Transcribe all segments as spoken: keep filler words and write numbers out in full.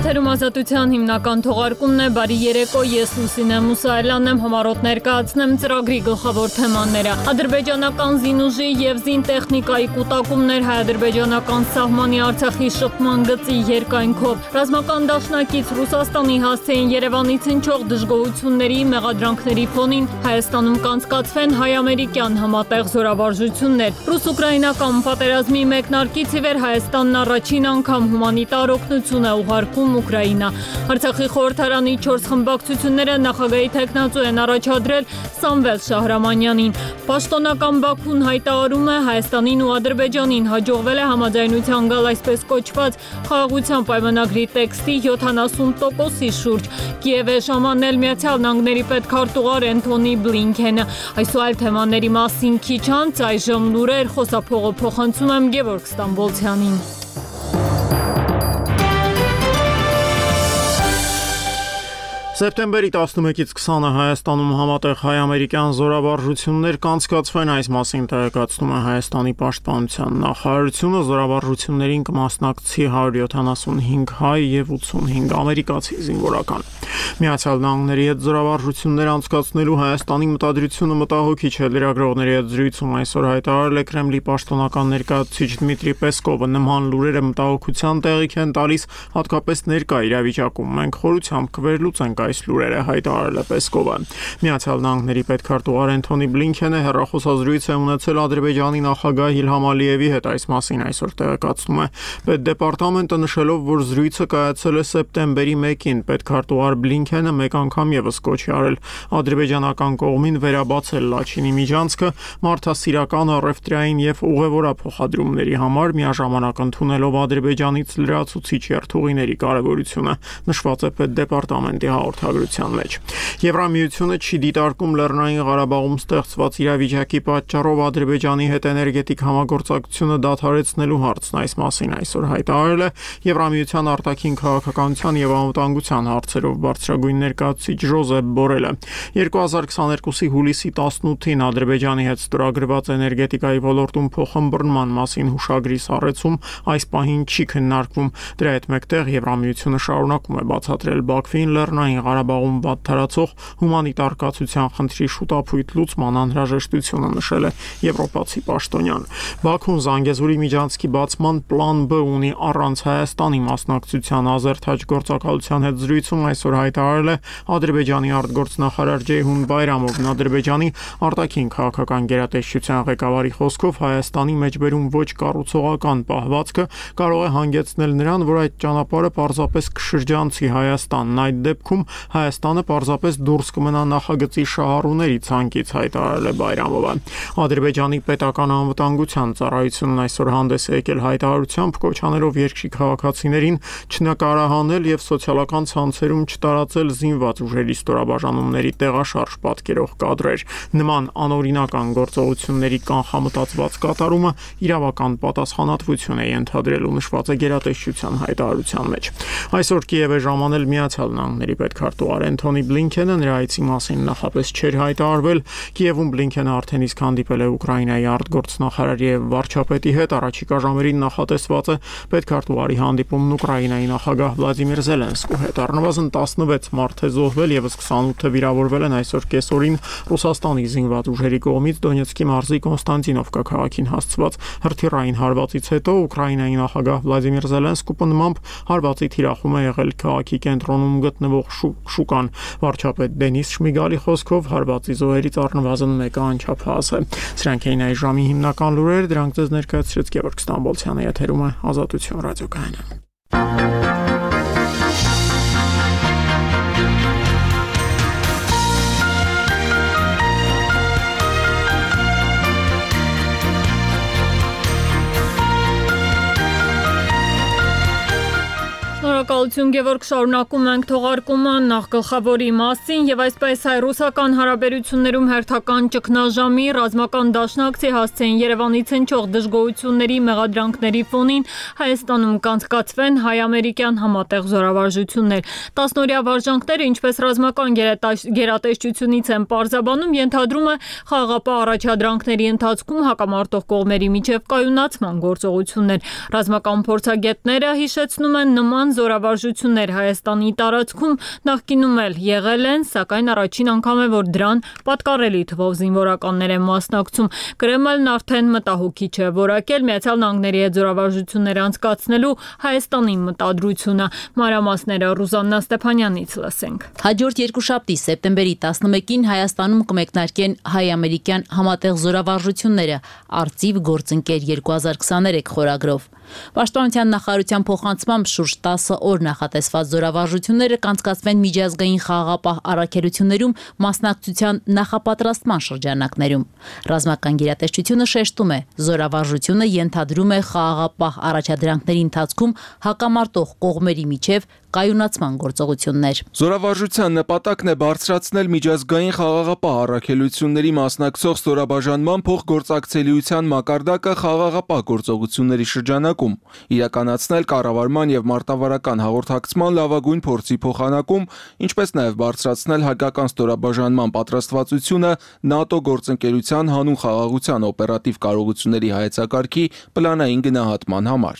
Եթերում ազատության հիմնական թողարկումն է, բարի երեկո, ես Լուսինե Մուսայելյանն եմ, համառոտ ներկայացնեմ ծրագրի գլխավոր թեմաները։ Ադրբեջանական զինուժի եւ զինտեխնիկայի կուտակումներ, հայ-ադրբեջանական սահմանի Արցախի շփման գծի երկայնքով, ռազմական դաշնակից Ռուսաստանի հասցեին Երևանից հնչող դժգոհությունների, մեղադրանքների ֆոնին Հայաստանում կանցկացվեն հայ-ամերիկյան համատեղ զորավարժություններ։ Ռուս-ուկրաինական պատերազմի մեկնարկից ի վեր Հայաստանն առաջին անգամ հումանիտար օգնություն է ուղարկում Ուկրաինա։ Արցախի խորհրդարանի չորս խմբակցությունները նախագահի թեկնածու են առաջադրել Սամվել Շահրամանյանին։ Պաշտոնական Բաքուն հայտարարում է Հայաստանին ու Ադրբեջանին հաջողվել է համաձայնության գալ այսպես կոչված խաղաղության պայմանագրի տեքստի յոթանասուն տոկոսի շուրջ։ Կիև է ժամանել Միացյալ Նահանգների պետքարտուղար Էնթոնի Բլինքենը։ Այս ու այլ թեմաների մասին քիչ անց այժմ լուրեր, խոսափողը փոխանցում եմ Գևորգ Ստամբոլցյանին։ Սեպտեմբերի տասնմեկից քսանը Հայաստանում համատեղ հայ-ամերիկյան զորավարժություններ կանցկացվեն, այս մասին տեղեկացնում է Հայաստանի պաշտպանության նախարարությունը, զորավարժություններին կմասնակցի հարյուր յոթանասունհինգ հայ եւ ութսունհինգ ամերիկացի զինվորական։ Միացյալ Նահանգների հետ զորավարժություններ անցկացնելու Հայաստանի մտադրությունը մտահոգիչ է, լրագրողների հետ զրույցում այսօր հայտարարել է Կրեմլի պաշտոնական ներկայացուցիչ Դմիտրի Պեսկովը, նման լուրերը մտահոգության տեղիք են տալիս, հատկապես ներկա իրավիճակում։ Մենք խորությամբ կվերլուծենք այս լուրերը, հայտարարել է Պեսկովը։ Միացյալ Նահանգների պետքարտուղար Էնթոնի Բլինքենը հեռախոսազրույց է ունեցել Ադրբեջանի նախագահ Իլհամ Ալիևի հետ, այս մասին այսօր տեղեկացնում է Պետդեպարտամենտը, նշելով, որ զրույցը կայացել է սեպտեմբերի մեկին։ Պետքարտուղար Բլինքենը մեկ անգամ եւս կոչ է արել ադրբեջանական կողմին վերաբացել Լաչինի միջանցքը մարդասիրական, առևտրային եւ ուղևորափոխադրումների համար, միաժամանակ ընդունելով Ադրբեջանից լրացուցիչ երթուղիների կարեւորությունը, նշված է Պետդեպարտամենտի հաղորդագրության մեջ։ Եվրամիությունը չի դիտարկում Լեռնային Ղարաբաղում ստեղծված իրավիճակի պատճառով Ադրբեջանի հետ էներգետիկ համագործակցությունը դադարեցնելու հարցն, այս մասին այսօր հայտարարել է Եվրամիության արտաքին քաղաքականության եւ անվտանգության հարցերով բարձրագույն ներկայացուցիչ Ժոզեփ Բորելը։ երկու հազար քսաներկուսի հուլիսի տասնութին Ադրբեջանի հետ ստորագրված էներգետիկայի ոլորտում փոխըմբռնման մասին հուշագրի սառեցում այս պահին չի քննարկվում։ Դրա հետ մեկտեղ Եվրամիությունը շարունակում է բացատրել Բաքվին Լեռնային Ղարաբաղում վատթարացող հումանիտար կացության խնդրի շուտափույթ լուծման անհրաժեշտությունը, նշել է եվրոպացի պաշտոնյան։ Բաքուն Զանգեզուրի միջանցքի բացման պլան B ունի առանց Հայաստանի մասնակցության։ Ազերթաջ գործակալության հետ զրույցում այսօր հայտարարել է Ադրբեջանի արտգործնախարար Ջեյհուն Բայրամովն։ Ադրբեջանի արտաքին քաղաքական գերատեսչության ղեկավարի խոսքով Հայաստանի մեջբերում ոչ կառուցողական պահվածքը կարող է հանգեցնել նրան, որ այդ ճանապարհը պարզապես կշրջանցի Հայաստանն, այդ դեպքում Հայաստանը պարզապես դուրս կմնա նախագծի շահառուների ցանկից, հայտարարել է Բայրամովը։ Ադրբեջանի պետական անվտանգության ծառայությունն այսօր հանդես է եկել հայտարարությամբ, կոչ անելով երկրի քաղաքացիներին չնկարահանել եւ սոցիալական ցանցերում չտարածել զինված ուժերի ստորաբաժանումների տեղաշարժ պատկերող կադրեր։ Նման անօրինական գործողությունների կանխամտածված կատարումը իրավական պատասխանատվություն է ենթադրելու, նշված է գերատեսչության հայտարարության մեջ։ Այսօր Կիև է ժամանել Միացյալ Նահանգների պետքարտուղար Էնթոնի Բլինքենը, նրա այցի մասին նախապես չէր հայտարարվել։ Կիևում Բլինքենը արդեն իսկ հանդիպել է Ուկրաինայի արտգործնախարար եւ վարչապետի հետ, առաջիկա ժամերին նախատեսված է պետքարտուղարի հանդիպումն Ուկրաինայի նախագահ Վլադիմիր Զելենսկու հետ։ Առնվազն տասնվեց մարդ է զոհվել, եւս քսանութը վիրավորվել են այսօր կեսօրին Ռուսաստանի զինված ուժերի կողմից Դոնեցկի մարզի Կոնստանտինովկա քաղաքին հասցված հրթիռային հարվածից հետո Ուկրաինայի նախագահ Վլադիմիր Զելենսկու նման հարվածի թիրախում է եղել քաղաքի կենտրոնում գտնվող շուկան։ Վարչապետ Դենիս Շմիգալի խոսքով հարվածի զոհերից առնվազն մեկը անչափահաս է։ Սրանք էին այս ժամի հիմնական լուրերը, դրանք ձեզ ներկայացրեց Գևորգ Ստամբոլցյանը, եթերում է Ազատություն ռադիոկայանը։ Շնորհակալություն Գևորգ, շարունակում ենք թողարկումը նախ գլխավորի մասին եւ այսպես հայ-ռուսական հարաբերություններում հերթական ճգնաժամի ռազմական դաշնակցի հասցեին Երևանից հնչող դժգոհությունների մեղադրանքների ֆոնին Հայաստանում կանցկացվեն հայ-ամերիկյան համատեղ զորավարժություններ։ Տասնօրյա վարժանքները, ինչպես ռազմական գերատեսչությունից են պարզաբանում, ենթադրում է խաղաղապահ առաջադրանքների ընթացքում հակամարտող կողմերի միջև կայունացման գործողություններ։ Ռազմական փորձագետները հիշեցնում են նման զորավարժությունների զորավարժություններ Հայաստանի տարածքում նախկինում էլ եղել են, սակայն առաջին անգամ է, որ դրան պատկառելի թվով զինվորականներ են մասնակցում։ Կրեմլն արդեն մտահոգիչ է որակել Միացյալ Նահանգների հետ զորավարժություններ անցկացնելու Հայաստանի մտադրությունը։ Մանրամասները Ռուզաննա Ստեփանյանից լսենք։ Հաջորդ երկուշաբթի սեպտեմբերի տասնմեկին Հայաստանում կմեկնարկեն հայ-ամերիկյան համատեղ զորավարժությունները «Արծիվ գործընկեր երկու հազար քսաներեք» խորագրով։ Պաշտպանության նախարարության փոխանցմամբ շուրջ տասը օր նախատեսված զորավարժությունները կանցկացվեն միջազգային խաղաղապահ առաքելություններում մասնակցության նախապատրաստման շրջանակներում։ Ռազմական գերատեսչությունը շեշտում է, զորավարժությունը ենթադրում է խաղաղապահ առաջադրանքների ընթացքում հակամարտող կողմերի միջև կայունացման գործողություններ։ Զորավարժության նպատակն է բարձրացնել միջազգային խաղաղապահ առաքելությունների մասնակցող ստորաբաժանման փոխգործակցելիության մակարդակը խաղաղապահ գործողությունների շրջանակում, իրականացնել կառավարման եւ մարտավարական հաղորդակցման լավագույն փորձի փոխանակում, ինչպես նաեւ բարձրացնել հայկական ստորաբաժանման պատրաստվածությունը ՆԱՏՕ գործընկերության հանուն խաղաղության օպերատիվ կարողությունների հայեցակարգի պլանային գնահատման համար։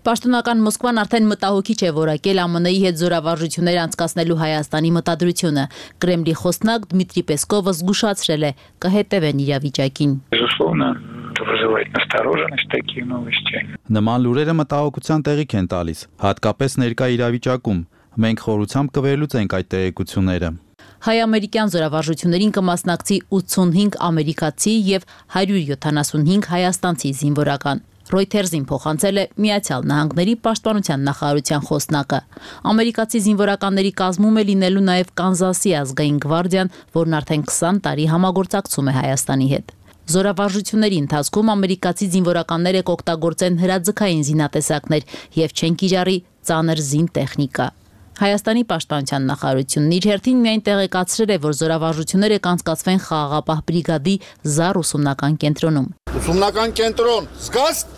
Պաշտոնական Մոսկվան արդեն մտահոգիչ է որակել ԱՄՆ-ի հետ զորավարժություններ անցկացնելու Հայաստանի մտադրությունը։ Կրեմլի խոսնակ Դմիտրի Պեսկովը զգուշացրել է, կհետևեն իրավիճակին։ Նման լուրերը մտահոգության տեղիք են տալիս, հատկապես ներկա իրավիճակում։ Մենք խորությամբ կվերլուծենք այդ տեղեկությունները։ Հայ-ամերիկյան զորավարժություններին կմասնակցի ութսունհինգ ամերիկացի եւ հարյուր յոթանասունհինգ հայաստանցի զինվորական։ Reuters-ին փոխանցել է Միացյալ Նահանգների պաշտպանության նախարարության խոսնակը։ Ամերիկացի զինվորականների կազմում է լինելու նաև Կանզասի ազգային գվարդիան, որն արդեն քսան տարի համագործակցում է Հայաստանի հետ։ Զորավարժությունների ընթացքում ամերիկացի զինվորականները կօգտագործեն հրաձգային զինատեսակներ եւ չեն կիրառի ծանր զինտեխնիկա։ Հայաստանի պաշտպանության նախարարությունն իր հերթին միայն տեղեկացրել է, որ զորավարժությունները կանցկացվեն խաղաղապահ բրիգադի ԶԱՌ ուսումնական կենտրոնում։ Ուսումնական կենտրոն, զգաստ։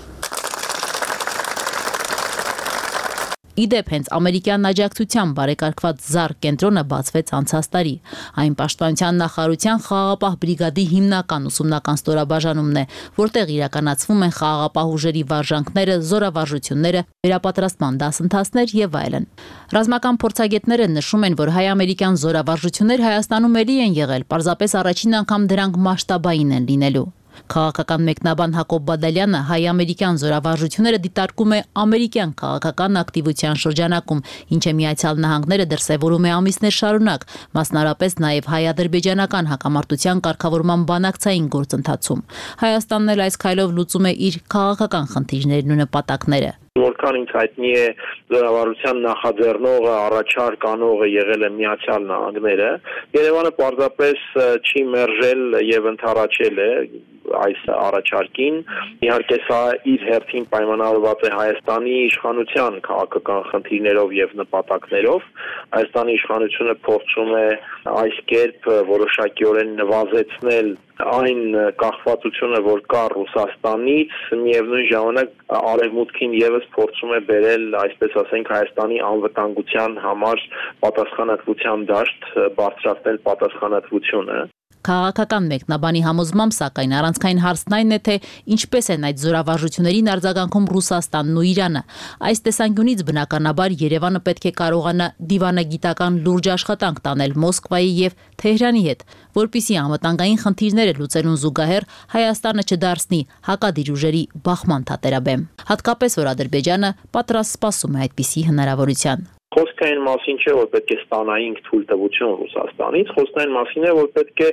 Իդեպ հենց ամերիկյան աջակցությամբ բարեկարգված ԶԱՌ կենտրոնը բացվեց անցած տարի։ Այն պաշտպանության նախարարության խաղաղապահ բրիգադի հիմնական ուսումնական ստորաբաժանումն է, որտեղ իրականացվում են խաղաղապահ ուժերի վարժանքները, զորավարժությունները, վերապատրաստման դասընթացներ եւ այլն։ Ռազմական փորձագետները նշում են, որ հայ-ամերիկյան զորավարժություններ Հայաստանում էլի են եղել, պարզապես առաջին անգամ դրանք մասշտաբային են լինելու։ Քաղաքական մեկնաբան Հակոբ Բադալյանը հայ-ամերիկյան զորավարժությունները դիտարկում է ամերիկյան քաղաքական ակտիվության շրջանակում, ինչը Միացյալ Նահանգները դրսևորում է ամիսներ շարունակ, մասնարապես նաև հայ-ադրբեջանական հակամարտության կարգավորման բանակցային գործընթացում։ Հայաստանն էլ այս քայլով լուծում է իր քաղաքական խնդիրներն ու նպատակները։ Որքան ինձ հայտնի է զորավարության նախաձեռնողը, առաջարկ անողը եղել է Միացյալ Նահանգները, Երևանը պարզապես չի մերժել եւ ընդառաջել է այս առաջարկին։ Իհարկե սա իր հերթին պայմանավորված է Հայաստանի իշխանության քաղաքական խնդիրներով եւ նպատակներով։ Հայաստանի իշխանությունը փորձում է այս կերպ որոշակիորեն նվազեցնել այն կախվածությունը, որ կա Ռուսաստանից, միևնույն ժամանակ արևմուտքին եւս փորձում է բերել, այսպես ասենք, Հայաստանի անվտանգության համար պատասխանատվության դաշտ, բարձրացնել պատասխանատվությունը։ Քաղաքական մեկնաբանի համոզմամբ, սակայն առանցքային հարցն այն է, թե ինչպես են այդ զորավարժություններին արձագանքում Ռուսաստանն ու Իրանը։ Այս տեսանկյունից բնականաբար Երևանը պետք է կարողանա դիվանագիտական լուրջ աշխատանք տանել Մոսկվայի եւ Թեհրանի հետ, որպիսի անվտանգային խնդիրները լուծելուն զուգահեռ Հայաստանը չդարձնի հակադիր ուժերի բախման թատերաբեմ։ Հատկապես որ Ադրբեջանը պատրաստ սպասում է այդպիսի հնարավորության։ Խոսքը այն մասին չէ, որ պետք է ստանայինք թույլտվություն Ռուսաստանից, խոսքը այն մասին է, որ պետք է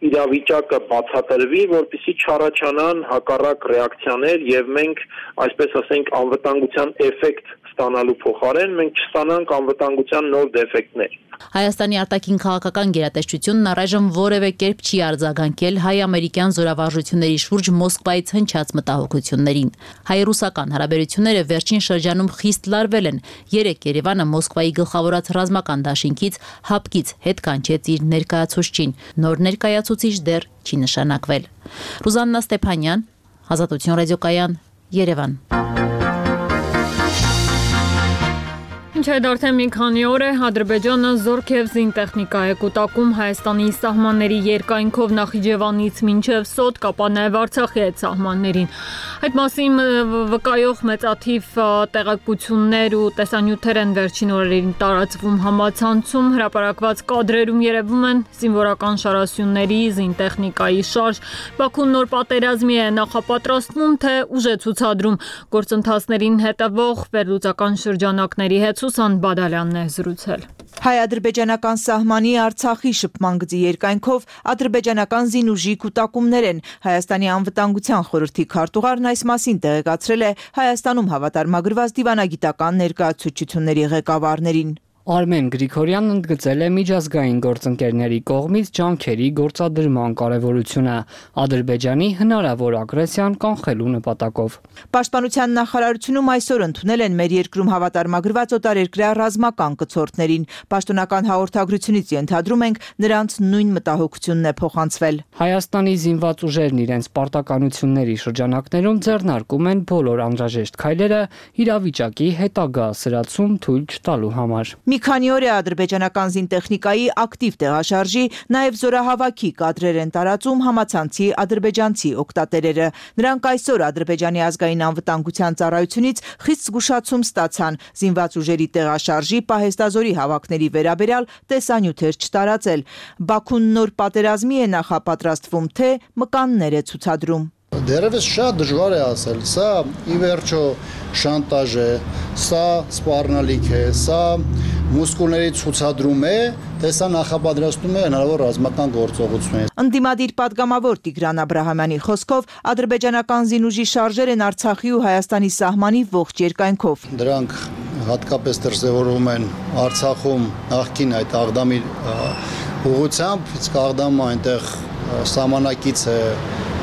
իրավիճակը բացատրվի, որպեսզի չառաջանան հակառակ ռեակցիաներ եւ մենք, այսպես ասենք, անվտանգության էֆեկտ ստանալու փոխարեն մենք չստանանք անվտանգության նոր դեֆեկտներ։ Հայաստանի արտաքին քաղաքական գերատեսչությունն առայժմ որևէ կերպ չի արձագանքել հայ-ամերիկյան զորավարժությունների շուրջ Մոսկվայից հնչած մտահոգություններին։ Հայ-ռուսական հարաբերությունները վերջին շրջանում խիստ լարվել են։ Երեկ Երևանը Մոսկվայի գլխավորած ռազմական դաշինքից հապկից հետ կանչեց իր ներկայացուցչին։ Նոր ներկայացուցիչ դեռ չի նշանակվել։ Ռուզաննա Ստեփանյան, Ազատություն ռադիոկայան, Երևան։ Ինչ այդ արդեն մի քանի օր է Ադրբեջանը զորք եւ զինտեխնիկա է կուտակում Հայաստանի սահմանների երկայնքով Նախիջևանից մինչեւ Սոտ, կապա նաեւ Արցախի այդ սահմաններին։ Այդ մասին վկայող մեծաթիվ տեղեկություններ ու տեսանյութեր են վերջին օրերին տարածվում համացանցում, հրապարակված կադրերում երևում են զինվորական շարասյունների, զինտեխնիկայի շարժ։ Բաքուն նոր պատերազմի է նախապատրաստվում, թե ուժ է ցուցադրում գործընթացներին հետևող վերլուծական շրջանակների հետ Սուսան Բադալյանն է զրուցել։ Հայ-ադրբեջանական սահմանի Արցախի շփման գծի երկայնքով ադրբեջանական զինուժի կուտակումներ են։ Հայաստանի անվտանգության խորհրդի քարտուղարն այս մասին տեղեկացրել է Հայաստանում հավատարմագրված դիվանագիտական ներկայացուցիչների ղեկավարներին։ Արմեն Գրիգորյանն ընդգծել է միջազգային գործընկերների կողմից ջանքերի գործադրման կարևորությունը Ադրբեջանի հնարավոր ագրեսիան կանխելու նպատակով։ Պաշտպանության նախարարությունում այսօր ընդունել են մեր երկրում հավատարմագրված օտարերկրյա ռազմական կցորդներին։ Պաշտոնական հաղորդագրությունից ենթադրում ենք նրանց նույն մտահոգությունն է փոխանցվել։ Հայաստանի զինված ուժերն իրենց պարտականությունների շրջանակներում ձեռնարկում են բոլոր անհրաժեշտ քայլերը իրավիճակի հետագա սրացում թույլ չտալու համար։ Մի քանի օր է ադրբեջանական զինտեխնիկայի ակտիվ տեղաշարժի, նաև զորահավաքի կադրեր են տարածում համացանցի ադրբեջանցի օգտատերերը։ Նրանք այսօր Ադրբեջանի ազգային անվտանգության ծառայությունից խիստ զգուշացում ստացան զինված ուժերի տեղաշարժի պահեստազորի հավաքների վերաբերյալ տեսանյութեր չտարածել։ Բաքուն նոր պատերազմի է նախապատրաստվում, թե մկաններ է ցուցադրում։ Դերևս շատ դժվար է ասել, սա ի վերջո շանտաժ է, սա սպառնալիք է, սա մուսկուլների ցուցադրում է, թե սա նախապատրաստում է հնարավոր ռազմական գործողություն։ Ընդդիմադիր падգամավոր Տիգրան Աբրահամյանի խոսքով ադրբեջանական զինուժի շարժեր են Արցախի ու Հայաստանի սահմանի ողջ երկայնքով։ Դրանք հատկապես դրսևորվում են Արցախում նախկին այդ Աղդամի ուղղությամբ, իսկ Աղդամը այնտեղ սահմանակից է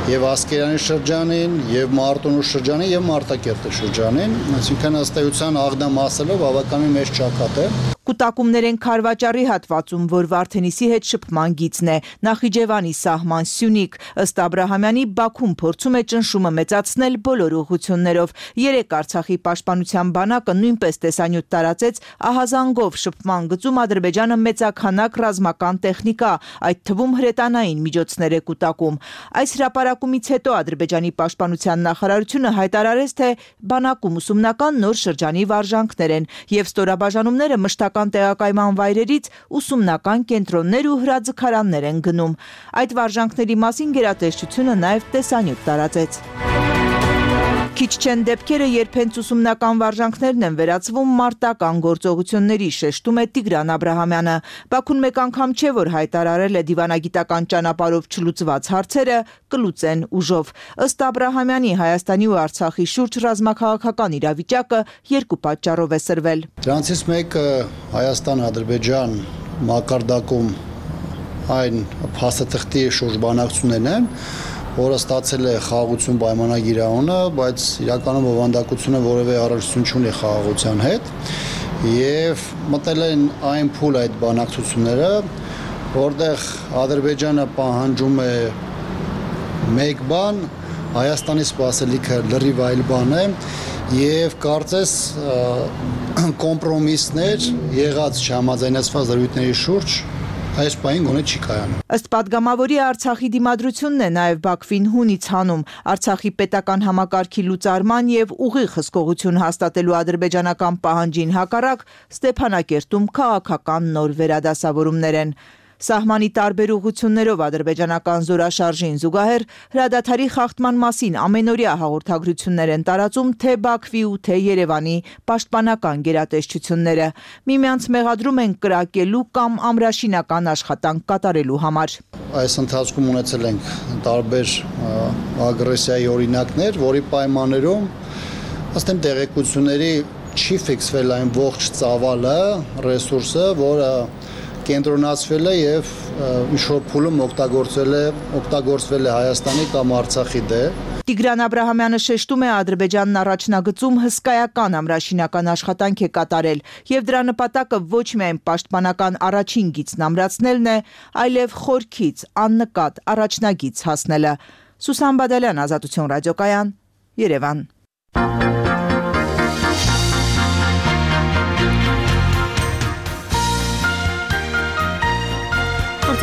եւ Ասկերանի շրջանին, եւ Մարտունու շրջանին, եւ Մարտակերտի շրջանին, այսինքն ըստ էության Աղդամ ասելով բավականին մեծ ճակատ է։ Կուտակումներ են Քարվաճարի հատվածում, որ Վարդենիսի հետ շփման գիծն է, Նախիջևանի սահման Սյունիք։ Ըստ Աբրահամյանի Բաքուն փորձում է ճնշումը մեծացնել բոլոր ուղղություններով։ Երեք Արցախի պաշտպանության բանակը նույնպես տեսանյութ տարածեց ահազանգով շփման գծում Ադրբեջանը մեծաքանակ ռազմական տեխնիկա, այդ թվում հրետանային միջոցներ է կուտակում։ Այս հրապարակումից հետո Ադրբեջանի պաշտպանության նախարարությունը հայտարարեց, թե բանակում ուսումնական նոր շրջանի վարժանքներ են եւ ստորաբաժանումները մշտական տեղակայման վայրերից ուսումնական կենտրոններ ու հրաձգարաններ են գնում։ Այդ վարժանքների մասին գերատեսչությունը նաև տեսանյութ տարածեց։ Քիչ չեն դեպքերը, երբ հենց ուսումնական վարժանքներն են վերածվում մարտական գործողությունների, շեշտում է Տիգրան Աբրահամյանը։ Բաքուն մեկ անգամ չէ, որ հայտարարել է դիվանագիտական ճանապարհով չլուծված հարցերը կլուծեն ուժով։ Ըստ Աբրահամյանի Հայաստանի ու Արցախի շուրջ ռազմաքաղաքական իրավիճակը երկու պատճառով է սրվել։ Դրանցից մեկը Հայաստան-Ադրբեջան մակարդակում այն փաստաթղթի շուրջ բանակցություններն են, որը ստացել է խաղաղություն պայմանագիր անունը, բայց իրականում բովանդակությունը որևէ առնչություն չունի խաղաղության հետ, եւ մտել են այն փուլ այդ բանակցությունները, որտեղ Ադրբեջանը պահանջում է մեկ բան, Հայաստանի սպասելիքը լրիվ այլ բան է, եւ կարծես կոմպրոմիսներ եղած չհամաձայնեցված դրույթների շուրջ այս պահին գոնե չի կայանում։ Ըստ падգամավորի Արցախի դիմադրությունն է նաև Բաքվին հունից հանում Արցախի պետական համակարգի լուծարման եւ ուղիղ հսկողություն հաստատելու ադրբեջանական պահանջին հակառակ Ստեփանակերտում քաղաքական նոր վերադասավորումներ են։ Սահմանի տարբեր ուղղություններով ադրբեջանական զորաշարժին զուգահեռ հրադադարի խախտման մասին ամենօրյա հաղորդագրություններ են տարածում թե Բաքվի ու թե Երևանի պաշտպանական գերատեսչությունները։ Միմյանց մեղադրում են կրակելու կամ ամրաշինական աշխատանք կատարելու համար։ Այս ընթացքում ունեցել ենք տարբեր ագրեսիայի օրինակներ, որի պայմաններում ըստ իմ տեղեկությունների չի ֆիքսվել այն ողջ ծավալը, ռեսուրսը, որը կենտրոնացվել է եւ ինչ-որ փուլում օգտագործվել է օգտագործվել է Հայաստանի կամ Արցախի դեմ։ Տիգրան Աբրահամյանը շեշտում է Ադրբեջանն առաջնագծում հսկայական ամրաշինական աշխատանք է կատարել եւ դրա նպատակը ոչ միայն պաշտպանական առաջին գիծն ամրացնելն է, այլև խորքից աննկատ առաջնագիծ հասնելը։ Սուսան Բադալյան, Ազատություն ռադիոկայան, Երևան։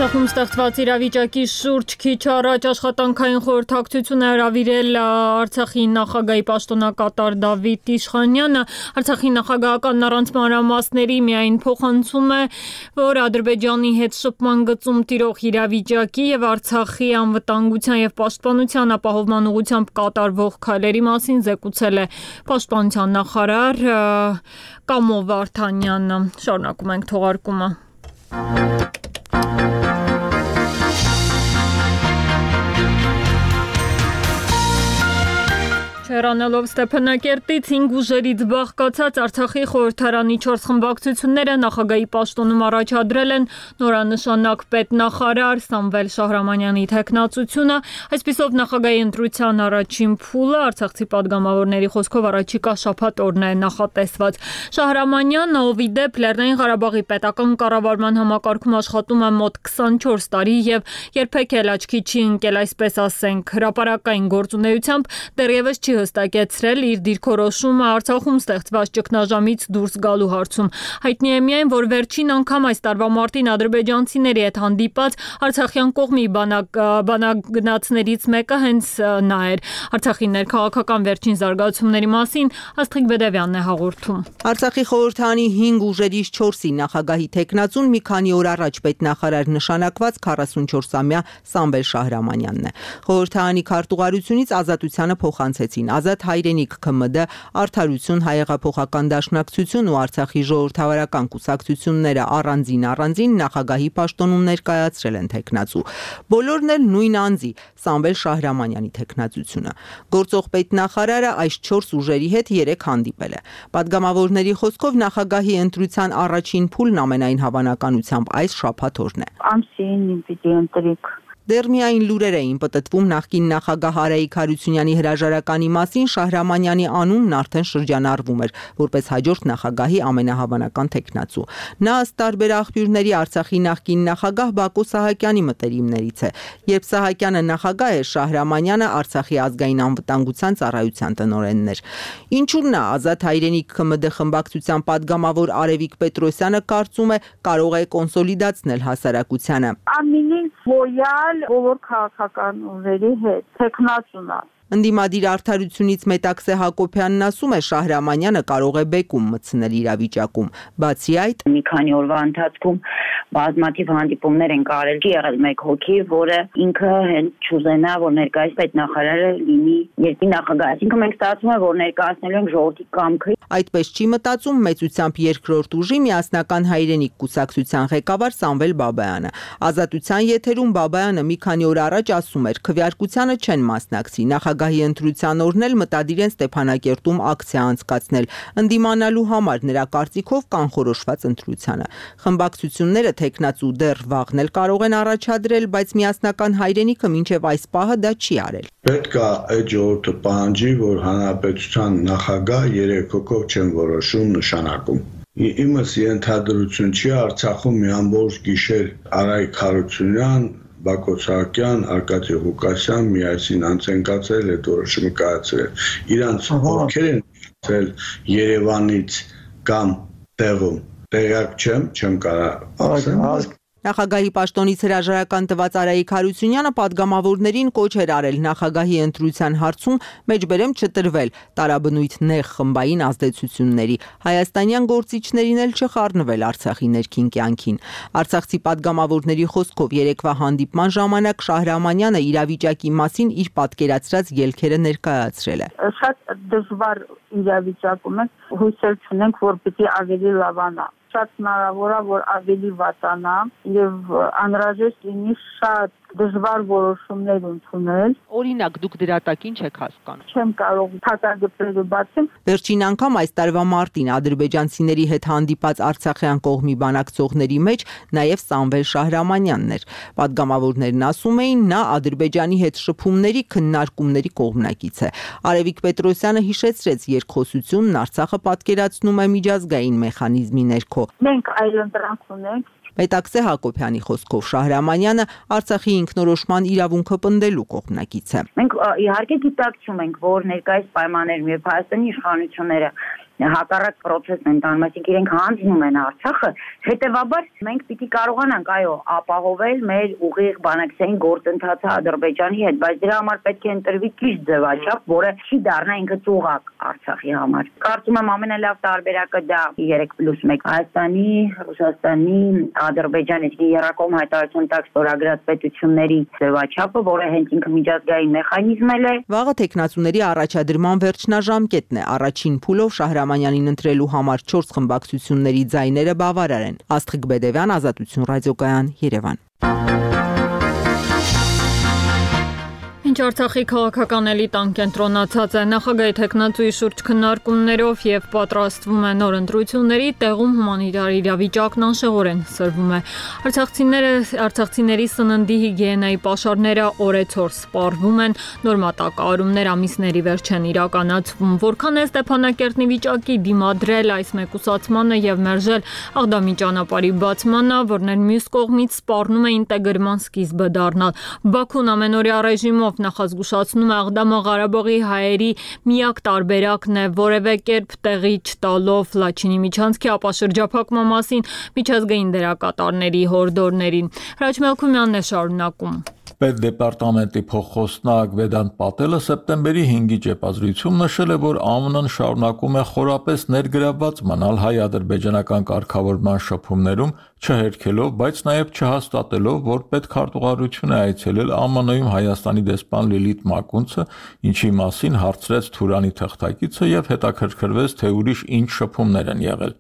Արցախում ստեղծված իրավիճակի շուրջ քիչ առաջ աշխատանքային խորհրդակցություն է հրավիրել Արցախի նախագահի պաշտոնակատար Դավիթ Իշխանյանը։ Արցախի նախագահական առանց մանրամասների միայն փոխանցում է, որ Ադրբեջանի հետ շփման գծում տիրող իրավիճակի եւ Արցախի անվտանգության եւ պաշտպանության ապահովման ուղղությամբ կատարվող քայլերի մասին զեկուցել է պաշտպանության նախարար Կամո Վարդանյանը։ Շարունակում ենք թողարկումը։ Հեռանալով Ստեփանակերտից հինգ ուժերից բաղկացած Արցախի խորհրդարանի չորս խմբակցությունները նախագահի պաշտոնում առաջադրել են նորանշանակ պետնախարար Սամվել Շահրամանյանի թեկնածությունը, այսպիսով նախագահի ընտրության առաջին փուլը Արցախցի падգամավորների խոսքով առաջիկա շաբաթ օրն է նախատեսված։ Շահրամանյանը, ով ի դեպ Լեռնային Ղարաբաղի պետական կառավարման համակարգում աշխատում է մոտ քսանչորս տարի եւ երբեք էլ աչքի չի ընկել, այսպես ասենք, հրապարակային գործունեությամբ դեռևս չի հստակեցրել իր դիրքորոշումը Արցախում ստեղծված ճգնաժամից դուրս գալու հարցում։ Հայտնի է միայն, որ վերջին անգամ այս տարվա մարտին ադրբեջանցիների հետ հանդիպած արցախյան կողմի բանագնացներից մեկը հենց նա էր։ Արցախի ներքաղաքական վերջին զարգացումների մասին Աստղիկ Բեդևյանն է հաղորդում։ Արցախի խորհրդարանի հինգ ուժերից չորսի նախագահի թեկնածուն մի քանի օր առաջ պետնախարար նշանակված քառասունչորսամյա Սամվել Շահրամանյանն է։ Խորհրդարանի քարտուղարությունից Ազատությանը փոխանցեցին Ազատ հայրենիք ՔՄԴ, Արդարություն հայեղափոխական դաշնակցություն ու Արցախի ժողովրդավարական կուսակցությունները առանձին առանձին նախագահի պաշտոնում ներկայացրել են թեկնածու։ Բոլորն էլ նույն անձի Սամվել Շահրամանյանի թեկնածությունը։ Գործող պետնախարարը այս չորս ուժերի հետ երեք հանդիպել է։ Պատգամավորների խոսքով նախագահի ընտրության առաջին փուլն ամենայն հավանականությամբ այս շաբաթ օրն է։ Ամսին պիտի ընտրիկ։ Դեռ միայն լուրեր էին պտտվում նախկին նախագահ Արայիկ Հարությունյանի հրաժարականի մասին, Շահրամանյանի անունն արդեն շրջանառվում էր որպես հաջորդ նախագահի ամենահավանական թեկնածու։ Նա ըստ տարբեր աղբյուրների Արցախի նախկին նախագահ Բակո Սահակյանի մտերիմներից է։ Երբ Սահակյանը նախագահ էր, Շահրամանյանը Արցախի ազգային անվտանգության ծառայության տնօրենն էր։ Ինչու՞ նա Ազատ հայրենիք ՔՄԴ խմբակցության падգամավոր Արևիկ Պետրոսյանը կարծում է կարող է կոնսոլիդացնել հասարակությանը։ Ամենից լոյալ բոլոր քաղաքական ուժերի հետ թեկնածուն է։ Ընդդիմադիր Արդարությունից Մետաքսե Հակոբյանն ասում է Շահրամանյանը կարող է բեկում մտցնել իրավիճակում։ Բացի այդ, մի քանի օրվա ընթացքում բազմաթիվ հանդիպումներ են կարել, չի եղել մեկ հոգի, որը ինքը հենց չուզենա, որ ներկայիս պետնախարարը լինի երկրի նախագահ։ Այսինքն մենք ստացվում է, որ ներկայացնելու ենք ժողովրդի կամքը։ Այդպես չի մտածում մեծությամբ երկրորդ ուժի միասնական հայրենիք կուսակցության ղեկավար Սամվել Բաբայանը։ Ազատության եթերում Բաբայանը մի քանի օր առաջ ասում էր, քվեարկությանը չեն մասնակցի, նախագահի ընտրության օրն էլ մտադիր են Ստեփանակերտում ակցիա անցկացնել, ընդդիմանալու համար նրա կարծիքով կանխորոշված ընտրությանը։ Խմբակցությունները թեկնածու դեռ վաղն էլ կարող են առաջադրել, բայց միասնական հայրենիքը մինչև այս պահը դա չի արել։ Պետք է այդ ժողովուրդը պահանջի, որ հանրապետության նախագահ երեք հոգով չեն որոշում նշանակում։ Իմս ենթադրություն չի Արցախում մի ամբողջ գիշեր Արայիկ Հարությունյան, Բակո Սահակյան, Արկադի Ղուկասյան միասին անցնկացել այդ որոշումը կայացրել։ Իրանց ովքեր են ցել Երևանից կամ տեղում տեղյակ չեմ, չեմ կարող ասել։ Նախագահի պաշտոնից հրաժարական տված Արայիկ Հարությունյանը падգամավորներին կոչ էր արել նախագահի ընտրության հարցում մեջբերեմ չտրվել տարաբնույթ նեղ խմբային ազդեցությունների, հայաստանյան գործիչներին էլ չխառնվել Արցախի ներքին կյանքին։ Արցախցի падգամավորների խոսքով երեկվա հանդիպման ժամանակ Շահրամանյանը իրավիճակի մասին իր պատկերացրած ելքերը ներկայացրել է։ Շատ դժվար իրավիճակում ենք, հույսեր չունենք, որ պիտի ավելի լավանա։ Շատ հնարավոր է, որ ավելի վատանա եւ անհրաժեշտ լինի շատ դժվար որոշումներ ընդունել։ Օրինակ, դուք դրատակ ինչ եք հասկանում։ Չեմ կարող փակագծերը բացեմ։ Վերջին անգամ այս տարվա մարտին ադրբեջանցիների հետ հանդիպած արցախյան կողմի բանակցողների մեջ նաև Սամվել Շահրամանյանն էր։ Պատգամավորներն ասում էին, նա Ադրբեջանի հետ շփումների քննարկումների կողմնակից է։ Արևիկ Պետրոսյանը հիշեցրեց երկխոսությունն Արցախը պատկերացնում է միջազգային մեխանիզմի ներքո։ Մենք այլընտրանք ունենք։ Մետաքսե Հակոբյանի խոսքով Շահրամանյանը Արցախի ինքնորոշման իրավունքը պնդելու կողմնակից է։ Մենք իհարկե գիտակցում ենք, որ ներկայիս պայմաններում երբ Հայաստանի իշխանությունները հակառակ process-ն են տանում, այսինքն իրենք հանձնում են Արցախը, հետևաբար մենք պիտի կարողանանք այո ապահովել մեր ուղիղ բանակցային գործընթացը Ադրբեջանի հետ, բայց դրա համար պետք է ընտրվի ճիշտ ձևաչափ, որը չի դառնա ինքը ծուղակ Արցախի համար։ Կարծում եմ ամենալավ տարբերակը դա երեք պլյուս մեկ Հայաստանի, Ռուսաստանի, Ադրբեջանի երկկողմ հայտարարություն տակ ստորագրած պետությունների ձևաչափը, որը հենց ինքը միջազգային մեխանիզմ է։ Վաղը տեխնացուների առաջադրման վերջնաժամկետն է։ Առաջին փուլով Շահրամանյանին ընտրելու համար չորս խմբակցությունների ձայները բավարար են։ Աստղիկ Բեդևյան, Ազատություն ռադիոկայան, Երևան։ Ինչ Արցախի քաղաքական էլիտան կենտրոնացած է նախագահի տեխնացուի շուրջ քննարկումներով եւ պատրաստվում է նոր ընտրությունների, տեղում հումանիտար իրավիճակն անշեղորեն սրվում է։ Արցախցիները արցախցիների սննդի հիգիենայի պաշարները օրեցօր սպառվում են, նոր մատակարարումներ ամիսների վերջ են իրականացվում։ Որքան է Ստեփանակերտի վիճակի դիմադրել այս մեկուսացմանը եւ մերժել Աղդամի ճանապարհի բացմանը, որներ մյուս կողմից սպառնում է ինտեգրման սկիզբը դառնալ։ Բաքուն ամենօրյա ռեժիմով նախազգուշացնում է Աղդամը Ղարաբաղի հայերի միակ տարբերակն է, որևէ կերպ տեղի չտալով Լաչինի միջանցքի ապաշրջափակման մասին միջազգային դերակատարների հորդորներին։ Հրաչ Մելքումյանն է շարունակում։ Պետդեպարտամենտի փոխխոսնակ Վեդանտ Պատելը սեպտեմբերի հինգի ճեպազրույցում նշել է, որ ԱՄՆ-ն շարունակում է խորապես ներգրավված մնալ հայ-ադրբեջանական կարգավորման շփումներում, չհերքելով, բայց նաև չհաստատելով, որ պետքարտուղարություն է այցելել ԱՄՆ-ում Հայաստանի դեսպան Լիլիթ Մակունցը, ինչի մասին հարցրեց Թուրանի թղթակիցը եւ հետաքրքրվեց, թե ուրիշ ինչ շփումներ են եղել։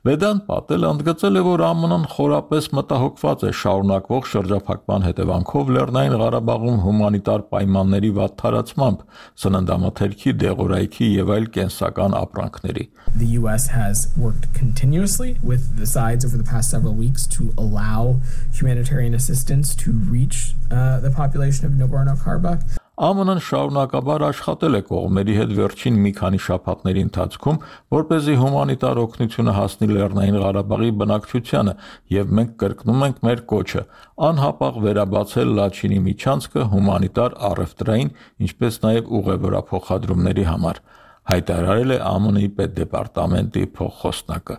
Վեդանտ Պատելը ընդգծել է, որ ԱՄՆ-ն խորապես մտահոգված է շարունակվող շրջափակման հետևանքով Լեռնային Ղարաբաղում հումանիտար պայմանների վատ թարացմամբ, սննդամթերքի, դեղորայքի եւ այլ կենսական ապրանքների։ The U S has worked continuously with the sides over the past several weeks to allow humanitarian assistance to reach uh, the population of Nagorno-Karabakh. ԱՄՆ-ն շարունակաբար աշխատել է կողմերի հետ վերջին մի քանի շաբաթների ընթացքում, որպեսզի հումանիտար օգնությունը հասնի Լեռնային Ղարաբաղի բնակչությանը, եւ մենք կրկնում ենք մեր կոչը անհապաղ վերաբացել Լաչինի միջանցքը հումանիտար առևտրային, ինչպես նաեւ ուղևորափոխադրումների համար, հայտարարել է ԱՄՆ-ի պետդեպարտամենտի փոխխոսնակը։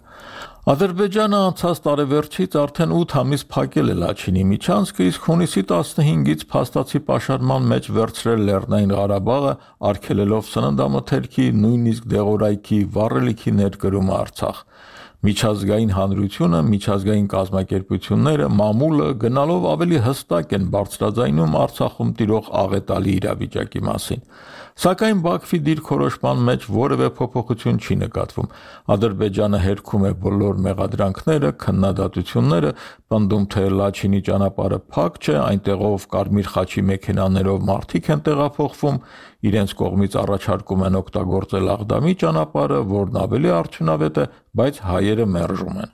Ադրբեջանը անցած տարեվերջից արդեն ութ ամիս փակել է Լաչինի միջանցքը, իսկ հունիսի տասնհինգից փաստացի պաշարման մեջ վերցրել Լեռնային Ղարաբաղը, արգելելով սննդամթերքի, նույնիսկ դեղորայքի, վառելիքի ներկրումը Արցախ։ Միջազգային հանրությունը, միջազգային կազմակերպությունները, մամուլը գնալով ավելի հստակ են բարձրաձայնում Արցախում տիրող աղետալի իրավիճակի մասին։ Սակայն Բաքվի դիրքորոշման մեջ որևէ փոփոխություն չի նկատվում։ Ադրբեջանը հերքում է բոլոր մեղադրանքները, քննադատությունները, պնդում թե Լաչինի ճանապարհը փակ չէ, այնտեղով Կարմիր խաչի մեքենաներով մարդիկ են տեղափոխվում, իրենց կողմից առաջարկում են օգտագործել Աղդամի ճանապարհը, որն ավելի արդյունավետ է, բայց հայերը մերժում են։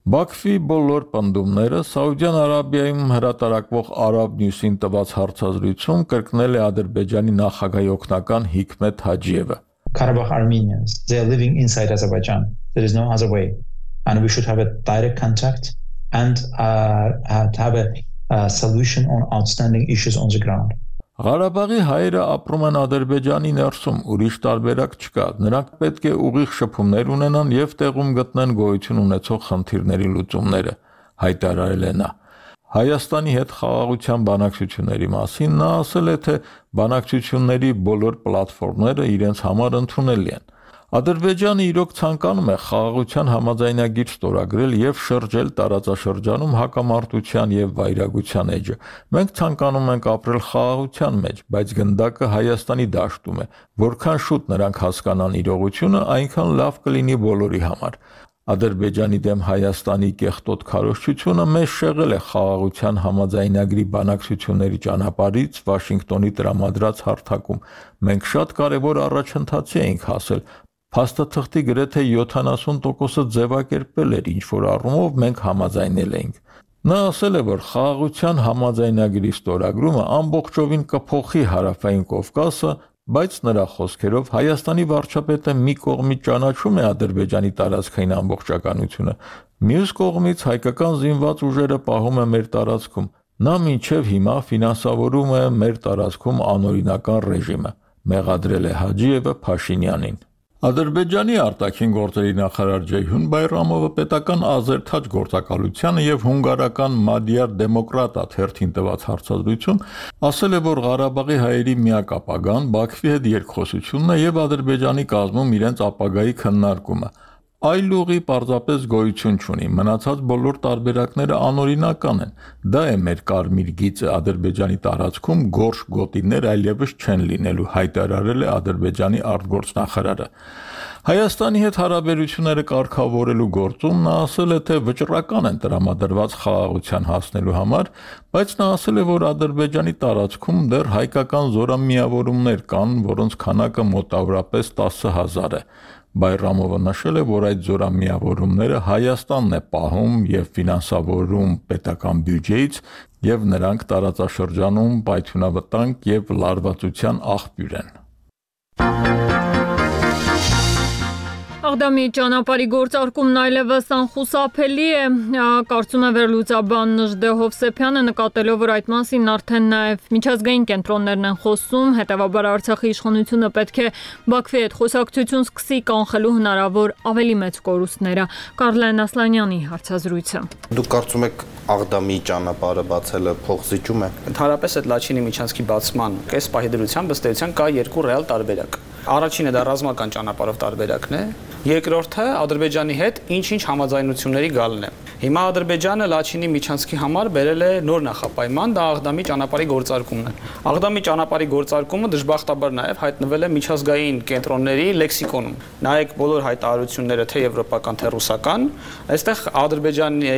Բաքվի բոլոր պնդումները Սաուդյան Արաբիայում հրատարակվող Arab News-ին տված հարցազրույցում կրկնել է Ադրբեջանի նախագահի օգնական Հիկմետ Հաջիևը։ Karabakh Armenians, they are living inside Azerbaijan. There is no other way. And we should have a direct contact and uh, have a, a solution on outstanding issues on the ground. Ղարաբաղի հայերը ապրում են Ադրբեջանի ներսում, ուրիշ տարբերակ չկա։ Նրանք պետք է ուղիղ շփումներ ունենան եւ տեղում գտնեն գոյություն ունեցող խնդիրների լուծումները, հայտարարել է նա։ Հայաստանի հետ խաղաղության բանակցությունների մասին նա ասել է, թե բանակցությունների բոլոր պլատֆորմները իրենց համար ընդունելի են։ Ադրբեջանը իրոք ցանկանում է խաղաղության համաձայնագիր ստորագրել եւ շրջել տարածաշրջանում հակամարտության եւ վայրագության էջը։ Մենք ցանկանում ենք ապրել խաղաղության մեջ, բայց գնդակը Հայաստանի դաշտում է։ Որքան շուտ նրանք հասկանան իրողությունը, այնքան լավ կլինի բոլորի համար։ Ադրբեջանի դեմ Հայաստանի կեղտոտ քարոզչությունը մեզ շեղել է խաղաղության համաձայնագրի բանակցությունների ճանապարհից Վաշինգտոնի տրամադրած հարթակում։ Մենք շատ կարևոր առաջընթացի ենք հասել։ Փաստաթղթի գրեթե յոթանասուն տոկոսը ձևակերպել էր, ինչ որ առումով մենք համաձայնել էինք։ Նա ասել է, որ խաղաղության համաձայնագրի ստորագրումը ամբողջովին կփոխի Հարավային Կովկասը, բայց նրա խոսքերով Հայաստանի վարչապետը մի կողմից ճանաչում է Ադրբեջանի տարածքային ամբողջականությունը, մյուս կողմից հայկական զինված ուժերը պահում է մեր տարածքում։ Նա մինչև հիմա ֆինանսավորում է մեր տարածքում անօրինական ռեժիմը, մեղադրել է Հաջիևը Փաշինյանին։ Ադրբեջանի արտաքին գործերի նախարար Ջեյհուն Բայրամովը պետական Ազերթաջ գործակալությանը եւ հունգարական Մադիար Դեմոկրատա թերթին տված հարցազրույցում ասել է, որ Ղարաբաղի հայերի միակ ապագան Բաքվի հետ երկխոսությունն է եւ Ադրբեջանի կազմում իրենց ապագայի քննարկումը։ Այլ ուղի պարզապես գոյություն չունի, մնացած բոլոր տարբերակները անօրինական են։ Դա է մեր կարմիր գիծը Ադրբեջանի տարածքում գորշ գոտիներ այլևս չեն լինելու, հայտարարել է Ադրբեջանի արտգործնախարարը։ Հայաստանի հետ հարաբերությունները կարգավորելու գործում նա ասել է, թե վճռական են տրամադրված խաղաղության հասնելու համար, բայց նա ասել է, որ Ադրբեջանի տարածքում դեռ հայկական զորամիավորումներ կան, որոնց քանակը մոտավորապես տասը հազար է։ Բայրամովը նշել է, որ այդ զորամիավորումները Հայաստանն է պահում եւ ֆինանսավորում պետական բյուջեից եւ նրանք տարածաշրջանում պայթյունավտանգ եւ լարվածության աղբյուր են։ Աղդամի ճանապարհի գործարկումն այլևս անխուսափելի է, կարծում է վերլուծաբան Նժդե Հովսեփյանը, նկատելով, որ այդ մասին արդեն նաև միջազգային կենտրոններն են խոսում, հետևաբար Արցախի իշխանությունը պետք է Բաքվի հետ խոսակցություն սկսի կանխելու հնարավոր ավելի մեծ կորուստները։ Կարլեն Ասլանյանի հարցազրույցը։ Դուք կարծում եք Աղդամի ճանապարհը բացելը փոխզիջում է։ Ընդհանրապես այդ Լաչինի միջանցքի բացման կես պահի դրությամբ ըստ էության կա երկու ռեալ տարբերակ։ Առաջինը դա ռազմական ճանապարհով տարբերակն է, երկրորդը Ադրբեջանի հետ ինչ-ինչ համաձայնությունների գալն է։ Հիմա Ադրբեջանը Լաչինի միջանցքի համար բերել է նոր նախապայման, դա Աղդամի ճանապարհի գործարկումն է։ Աղդամի ճանապարհի գործարկումը դժբախտաբար նաև հայտնվել է միջազգային կենտրոնների լեքսիկոնում։ Նայեք բոլոր հայտարարությունները, թե եվրոպական, թե ռուսական, այստեղ Ադրբեջանի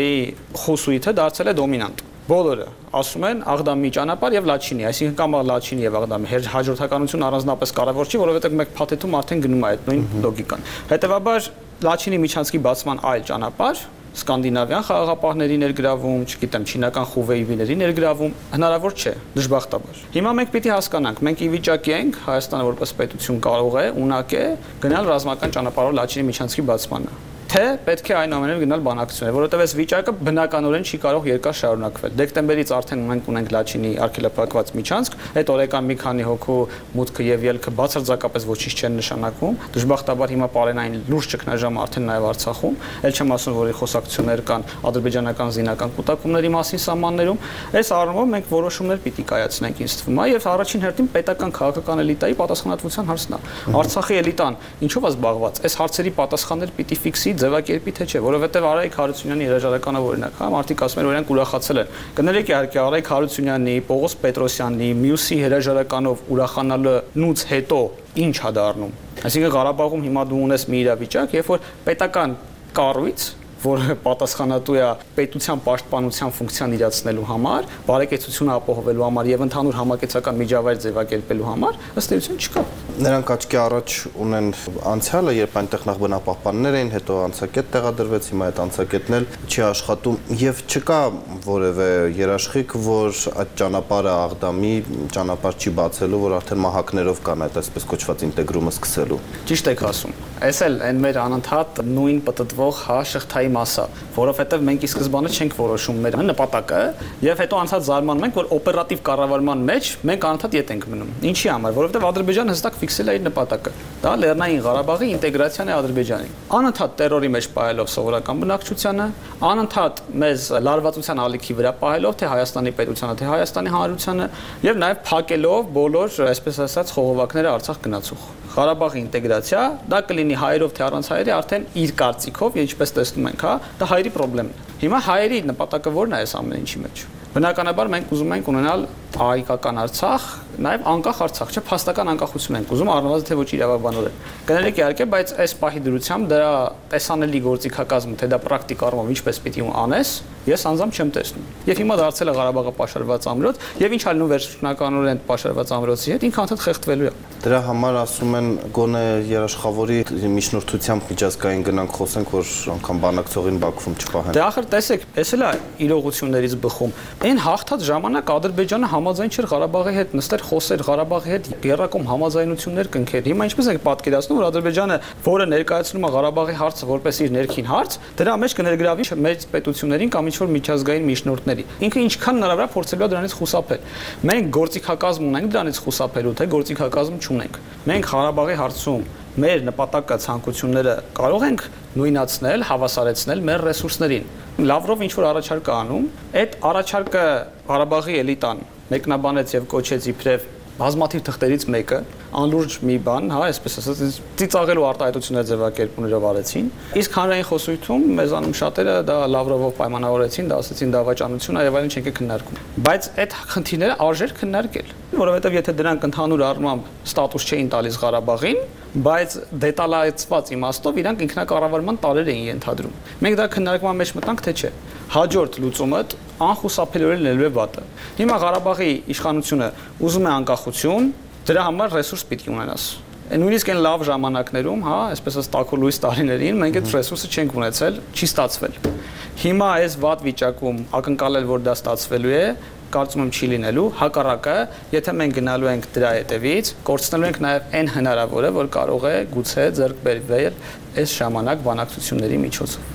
խոսույթը դարձել է դոմինանտ։ Բոլորը ասում են Աղդամի ճանապարհ եւ Լաչինի, այսինքն կամ Լաչինի եւ Աղդամի հաջորդականություն առանձնապես կարևոր չի, որովհետեւ մեկ փաթեթում արդեն գնում է այդ նույն լոգիկան։ Հետեւաբար Լաչինի միջանցքի բացման այլ ճանապարհ, սկանդինավյան խաղաղապահների ներգրավում, չգիտեմ, չինական խուվեյվիների ներգրավում հնարավոր չէ, դժբախտաբար։ Հիմա մենք պիտի հասկանանք, մենք ի վիճակի ենք, Հայաստանը որպես պետություն կարող է, ունակ է գնալ ռազմական ճանապարհով Լաչինի միջանցքի բացմանը։ Թե պետք է այնուամենայնիվ գնալ բանակցություններ, որովհետև այս վիճակը բնականորեն չի կարող երկար շարունակվել։ Դեկտեմբերից արդեն մենք ունենք Լաչինի արգելափակված միջանցք, այդ օրեկան մի քանի հոգու մուտքը եւ ելքը բացարձակապես ոչինչ չեն նշանակում։ Դժբախտաբար հիմա պարենային լուրջ ճգնաժամ արդեն նաեւ Արցախում, ել չեմ ասում, որ խոսակցություններ կան ադրբեջանական զինական կուտակումների մասին սահմաններում։ Այս առումով մենք որոշումներ պիտի կայացնենք, ինձ թվում է, եւ առաջին հերթին պետական քաղաքական էլիտայի պատասխանատվության հարցն է։ Արցախի էլիտան ինչով է զբաղված։ Այս հարցերի պատասխաններ պիտի ֆիքսի ձևակերպի թե չէ, որովհետև Արայիկ Հարությունյանի հրաժարականով օրինակ, հա, մարդիկ ասում են, օրինակ ուրախացել են։ Կներեք իհարկե Արայիկ Հարությունյանի, Պողոս Պետրոսյանի, մյուսի հրաժարականով ուրախանալուց հետո ինչ է դառնում։ Այսինքն Ղարաբաղում հիմա դու ունես մի իրավիճակ, երբ որ պետական կառույց, որը պատասխանատու է պետության պաշտպանության ֆունկցիան իրացնելու համար, բարեկեցությունը ապահովելու համար եւ ընդհանուր համակեցական միջավայր ձևակերպելու համար, ըստ էության չկա։ Նրանք աչքի առաջ ունեն անցյալը, երբ այնտեղ նախ բնապահպաններ էին, հետո անցակետ տեղադրվեց, հիմա այդ անցակետն էլ չի աշխատում եւ չկա որևէ երաշխիք, որ այդ ճանապարհը Աղդամի ճանապարհ չի բացելու, որ արդեն մահակներով կան այդ այսպես կոչված ինտեգրումը սկսելու։ Ճիշտ եք ասում։ Այս էլ այն մեր անընդհատ նույն պատտվող հա շղթայի մասը, որովհետև մենք ի սկզբանե չենք որոշում մեր նպատակը եւ հետո անցած զարմանում ենք, որ օպերատիվ կառավարման մեջ մենք անընդհատ ետ ենք մնում։ Ինչի համար, որովհետև Ադրբեջանը հստակ ֆիքսել է իր նպատակը։ Դա Լեռնային Ղարաբաղի ինտեգրացիան է Ադրբեջանի։ Անընդհատ տերորի մեջ պահելով սովորական բնակչությանը, անընդհատ մեզ լարվածության ալիքի վրա պահելով թե Հայաստանի պետությանը, թե Հայաստանի հանրությանը եւ նաեւ փակելով բոլոր, այսպես ասած, խողովակները Արցախ գնացող։ Ղարաբաղի ինտեգրացիա, դա կլինի հայերով թե առանց հայերի, արդեն իր կարծիքով, ինչպես տեսնում ենք, հա, դա հայերի խնդիրն է։ Հիմա հայերի նպատակը ո՞րն է այս ամեն ինչի մեջ։ Բնականաբար մենք ուզում ենք ունենալ հայկական Արցախ, նաև անկախ Արցախ, չէ, փաստական անկախություն ենք ուզում, առնվազն թե ոչ իրավաբանորեն։ Կներեք իհարկե, բայց այս պահի դրությամբ դրա տեսանելի գործիքակազմը, թե դա պրակտիկ առումով ինչպես պիտի անես, ես անձամբ չեմ տեսնում։ Եվ հիմա դարձել է Ղարաբաղը պաշարված ամրոց, եւ ինչ ալնում վերջնականորեն պաշարված ամրոցի հետ, ինքը անդադ խեղդվելու է։ Դրա համար ասում են գոնե երաշխավորի միջնորդությամբ միջազգային գնանք խոսենք, որ անգամ բանակցողին Բաքվում չպահեն։ Դե ախր տեսեք, էս էլ է իրողություններից բխում։ Այն հաղթած ժամանակ Ադրբեջանը համաձայն չէր Ղարաբաղի հետ նստեր, խոսեր Ղարաբաղի հետ երրակում համաձայնություններ կնքեր։ Հիմա ինչպես եք պատկերացնում, որ Ադրբեջանը, որը ներկայացնում է Ղարաբաղի հարցը որպես իր ներքին հարց, դրա մեջ կներգրավի մեծ պետություններին կամ ինչ-որ միջազգային միջնորդների։ Ինքը ինչքան հնարավոր է փորձելու է դրանից խուսափել։ Մենք գործիքակազմ ունենք դրանից խուսափելու, թե գործիքակազմ չունենք։ Մենք Ղարաբաղի հարցում մեր նպատակը ցանկությունները կարող ենք նույնացնել, հավասարեցնել մեր ռեսուրսներին։ Լավրով ինչ որ առաջարկ է անում, այդ առաջարկը Ղարաբաղի էլիտան մեկնաբանեց եւ կոչեց իբրև բազմաթիվ թղթերից մեկը, անլուրջ մի բան, հա, այսպես ասած, ծիծաղելու արտահայտություններ ձևակերպումներով արեցին։ Իսկ հանրային խոսույթում մեզանում շատերը դա Լավրովով պայմանավորեցին, դա ասեցին դավաճանություն, այլ այլն չենք քննարկում։ Բայց այդ խնդիրները արժեր քննարկել, որովհետեւ եթե դրանք ընդհանուր առմամբ ստատուս չէին տալիս Ղարաբաղին, բայց դետալացված իմաստով իրանք ինքնակառավարման տարեր էին ենթադրում։ Մենք դա քննարկման մեջ մտանք, թե չէ։ Հաջորդ լուծումը անխուսափելիորեն լելու է վատը։ Հիմա Ղարաբաղի իշխանությունը ուզում է անկախություն, դրա համար ռեսուրս պիտի ունենաս։ Նույնիսկ այն լավ ժամանակներում, հա, այսպես ասած տաքո լույս տարիներին մենք այդ ռեսուրսը չենք ունեցել, չի ստացվել։ Հիմա այս վատ վիճակում ակնկալել, որ դա ստացվելու է, կարծում եմ չի լինելու, հակառակը, եթե մենք գնալու ենք դրա հետևից, կորցնելու ենք նաև այն հնարավորը, որ կարող է գուցե ձեռք բերվել այս ժամանակ բանակցությունների միջոցով։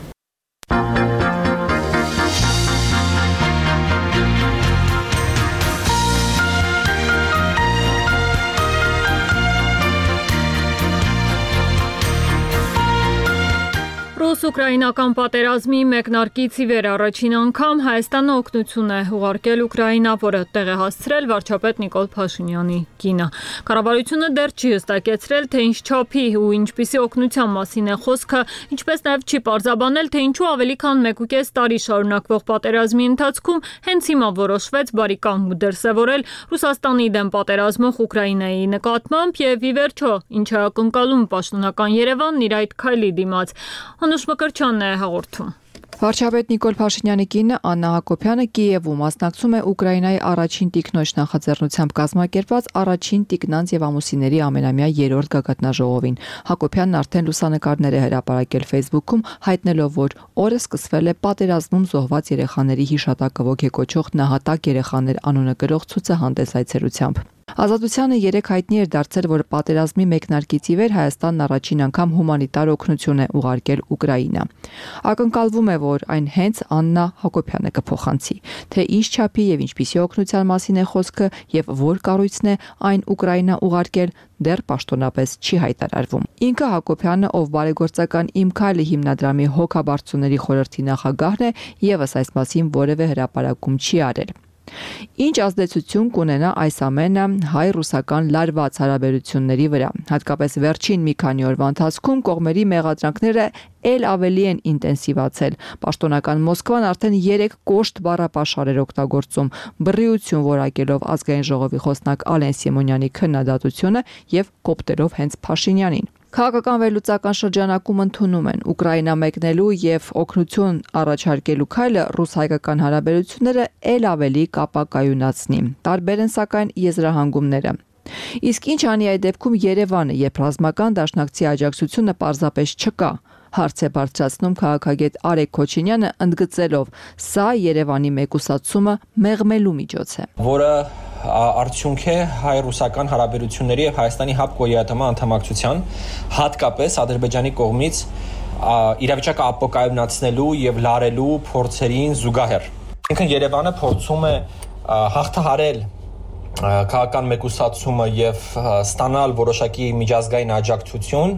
Ռուս-ուկրաինական պատերազմի մեկնարկից ի վեր առաջին անգամ Հայաստանը օգնություն է ուղարկել Ուկրաինա, որը տեղ է հասցրել վարչապետ Նիկոլ Փաշինյանի կինը։ Կառավարությունը դեռ չի հստակեցրել, թե ինչ չափի ու ինչպիսի օգնության մասին է խոսքը, ինչպես նաև չի պարզաբանել, թե ինչու ավելի քան մեկ ու կես տարի շարունակվող պատերազմի ընթացքում հենց հիմա որոշվեց բարիկամ ու դրսևորել Ռուսաստանի դեմ պատերազմող Ուկրաինայի նկատմամբ եւ ի վերջո ինչ է ակնկալում պաշտոնական Երևանն իր այդ քայլի դիմաց։ Անուշ Մկրտչյանն է հաղորդում։ Վարչապետ Նիկոլ Փաշինյանի կինը Աննա Հակոբյանը Կիևում մասնակցում է Ուկրաինայի առաջին տիկնոջ նախաձեռնությամբ կազմակերպված առաջին տիկնանց եւ ամուսինների ամենամյա երրորդ գագաթնաժողովին։ Հակոբյանն արդեն լուսանկարներ է հրապարակել Facebook-ում, հայտնելով, որ օրը սկսվել է պատերազմում զոհված երեխաների հիշատակը ոգեկոչող նահատակ երեխաներ անունը կրող ցուցահանդես այցելությամբ։ Ազատությանը երեք հայտնի էր դարձել, որ պատերազմի մեկնարկից ի վեր Հայաստանն առաջին անգամ հումանիտար օգնություն է ուղարկել Ուկրաինա։ Ակնկալվում է, որ այն հենց Աննա Հակոբյանը կփոխանցի, թե ինչ չափի եւ ինչպիսի օգնության մասին է խոսքը եւ որ կառույցն է այն Ուկրաինա ուղարկել, դեռ պաշտոնապես չի հայտարարվում։ Ինքը Հակոբյանը, ով բարեգործական Իմ քայլը հիմնադրամի հոգաբարձուների խորհրդի նախագահն է, եւս այս մասին որևէ հրապարակում չի արել։ Ինչ ազդեցություն կունենա այս ամենը հայ-ռուսական լարված հարաբերությունների վրա, հատկապես վերջին մի քանի օրվա ընթացքում կողմերի մեղադրանքները ել ավելի են ինտենսիվացել։ Պաշտոնական Մոսկվան արդեն երեք կոշտ բառապաշար էր օգտագործում, բռիություն որակելով ազգային ժողովի խոսնակ Ալեն Սիմոնյանի քննադատությունը եւ կոպտերով հենց Փաշինյանին։ Քաղաքական վերլուծական շրջանակում ընդունում են Ուկրաինա մեկնելու եւ օգնություն առաջարկելու քայլը ռուս-հայկական հարաբերությունները ել ավելի կապակայունացնի։ Տարբեր են սակայն եզրահանգումները։ Իսկ ինչ անի այդ դեպքում Երևանը, երբ ռազմական դաշնակցի աջակցությունը պարզապես չկա, հարց է բարձրացնում քաղաքագետ Արեգ Քոչինյանը, ընդգծելով, սա Երևանի մեկուսացումը մեղմելու միջոց է, որը արդյունք է հայ-ռուսական հարաբերությունների եւ Հայաստանի ՀԱՊԿՕ-ի անդամակցության, հատկապես Ադրբեջանի կողմից իրավիճակը ապոկայունացնելու եւ լարելու փորձերին զուգահեռ։ Ինքն Երևանը փորձում է հաղթահարել քաղաքական մեկուսացումը եւ ստանալ որոշակի միջազգային աջակցություն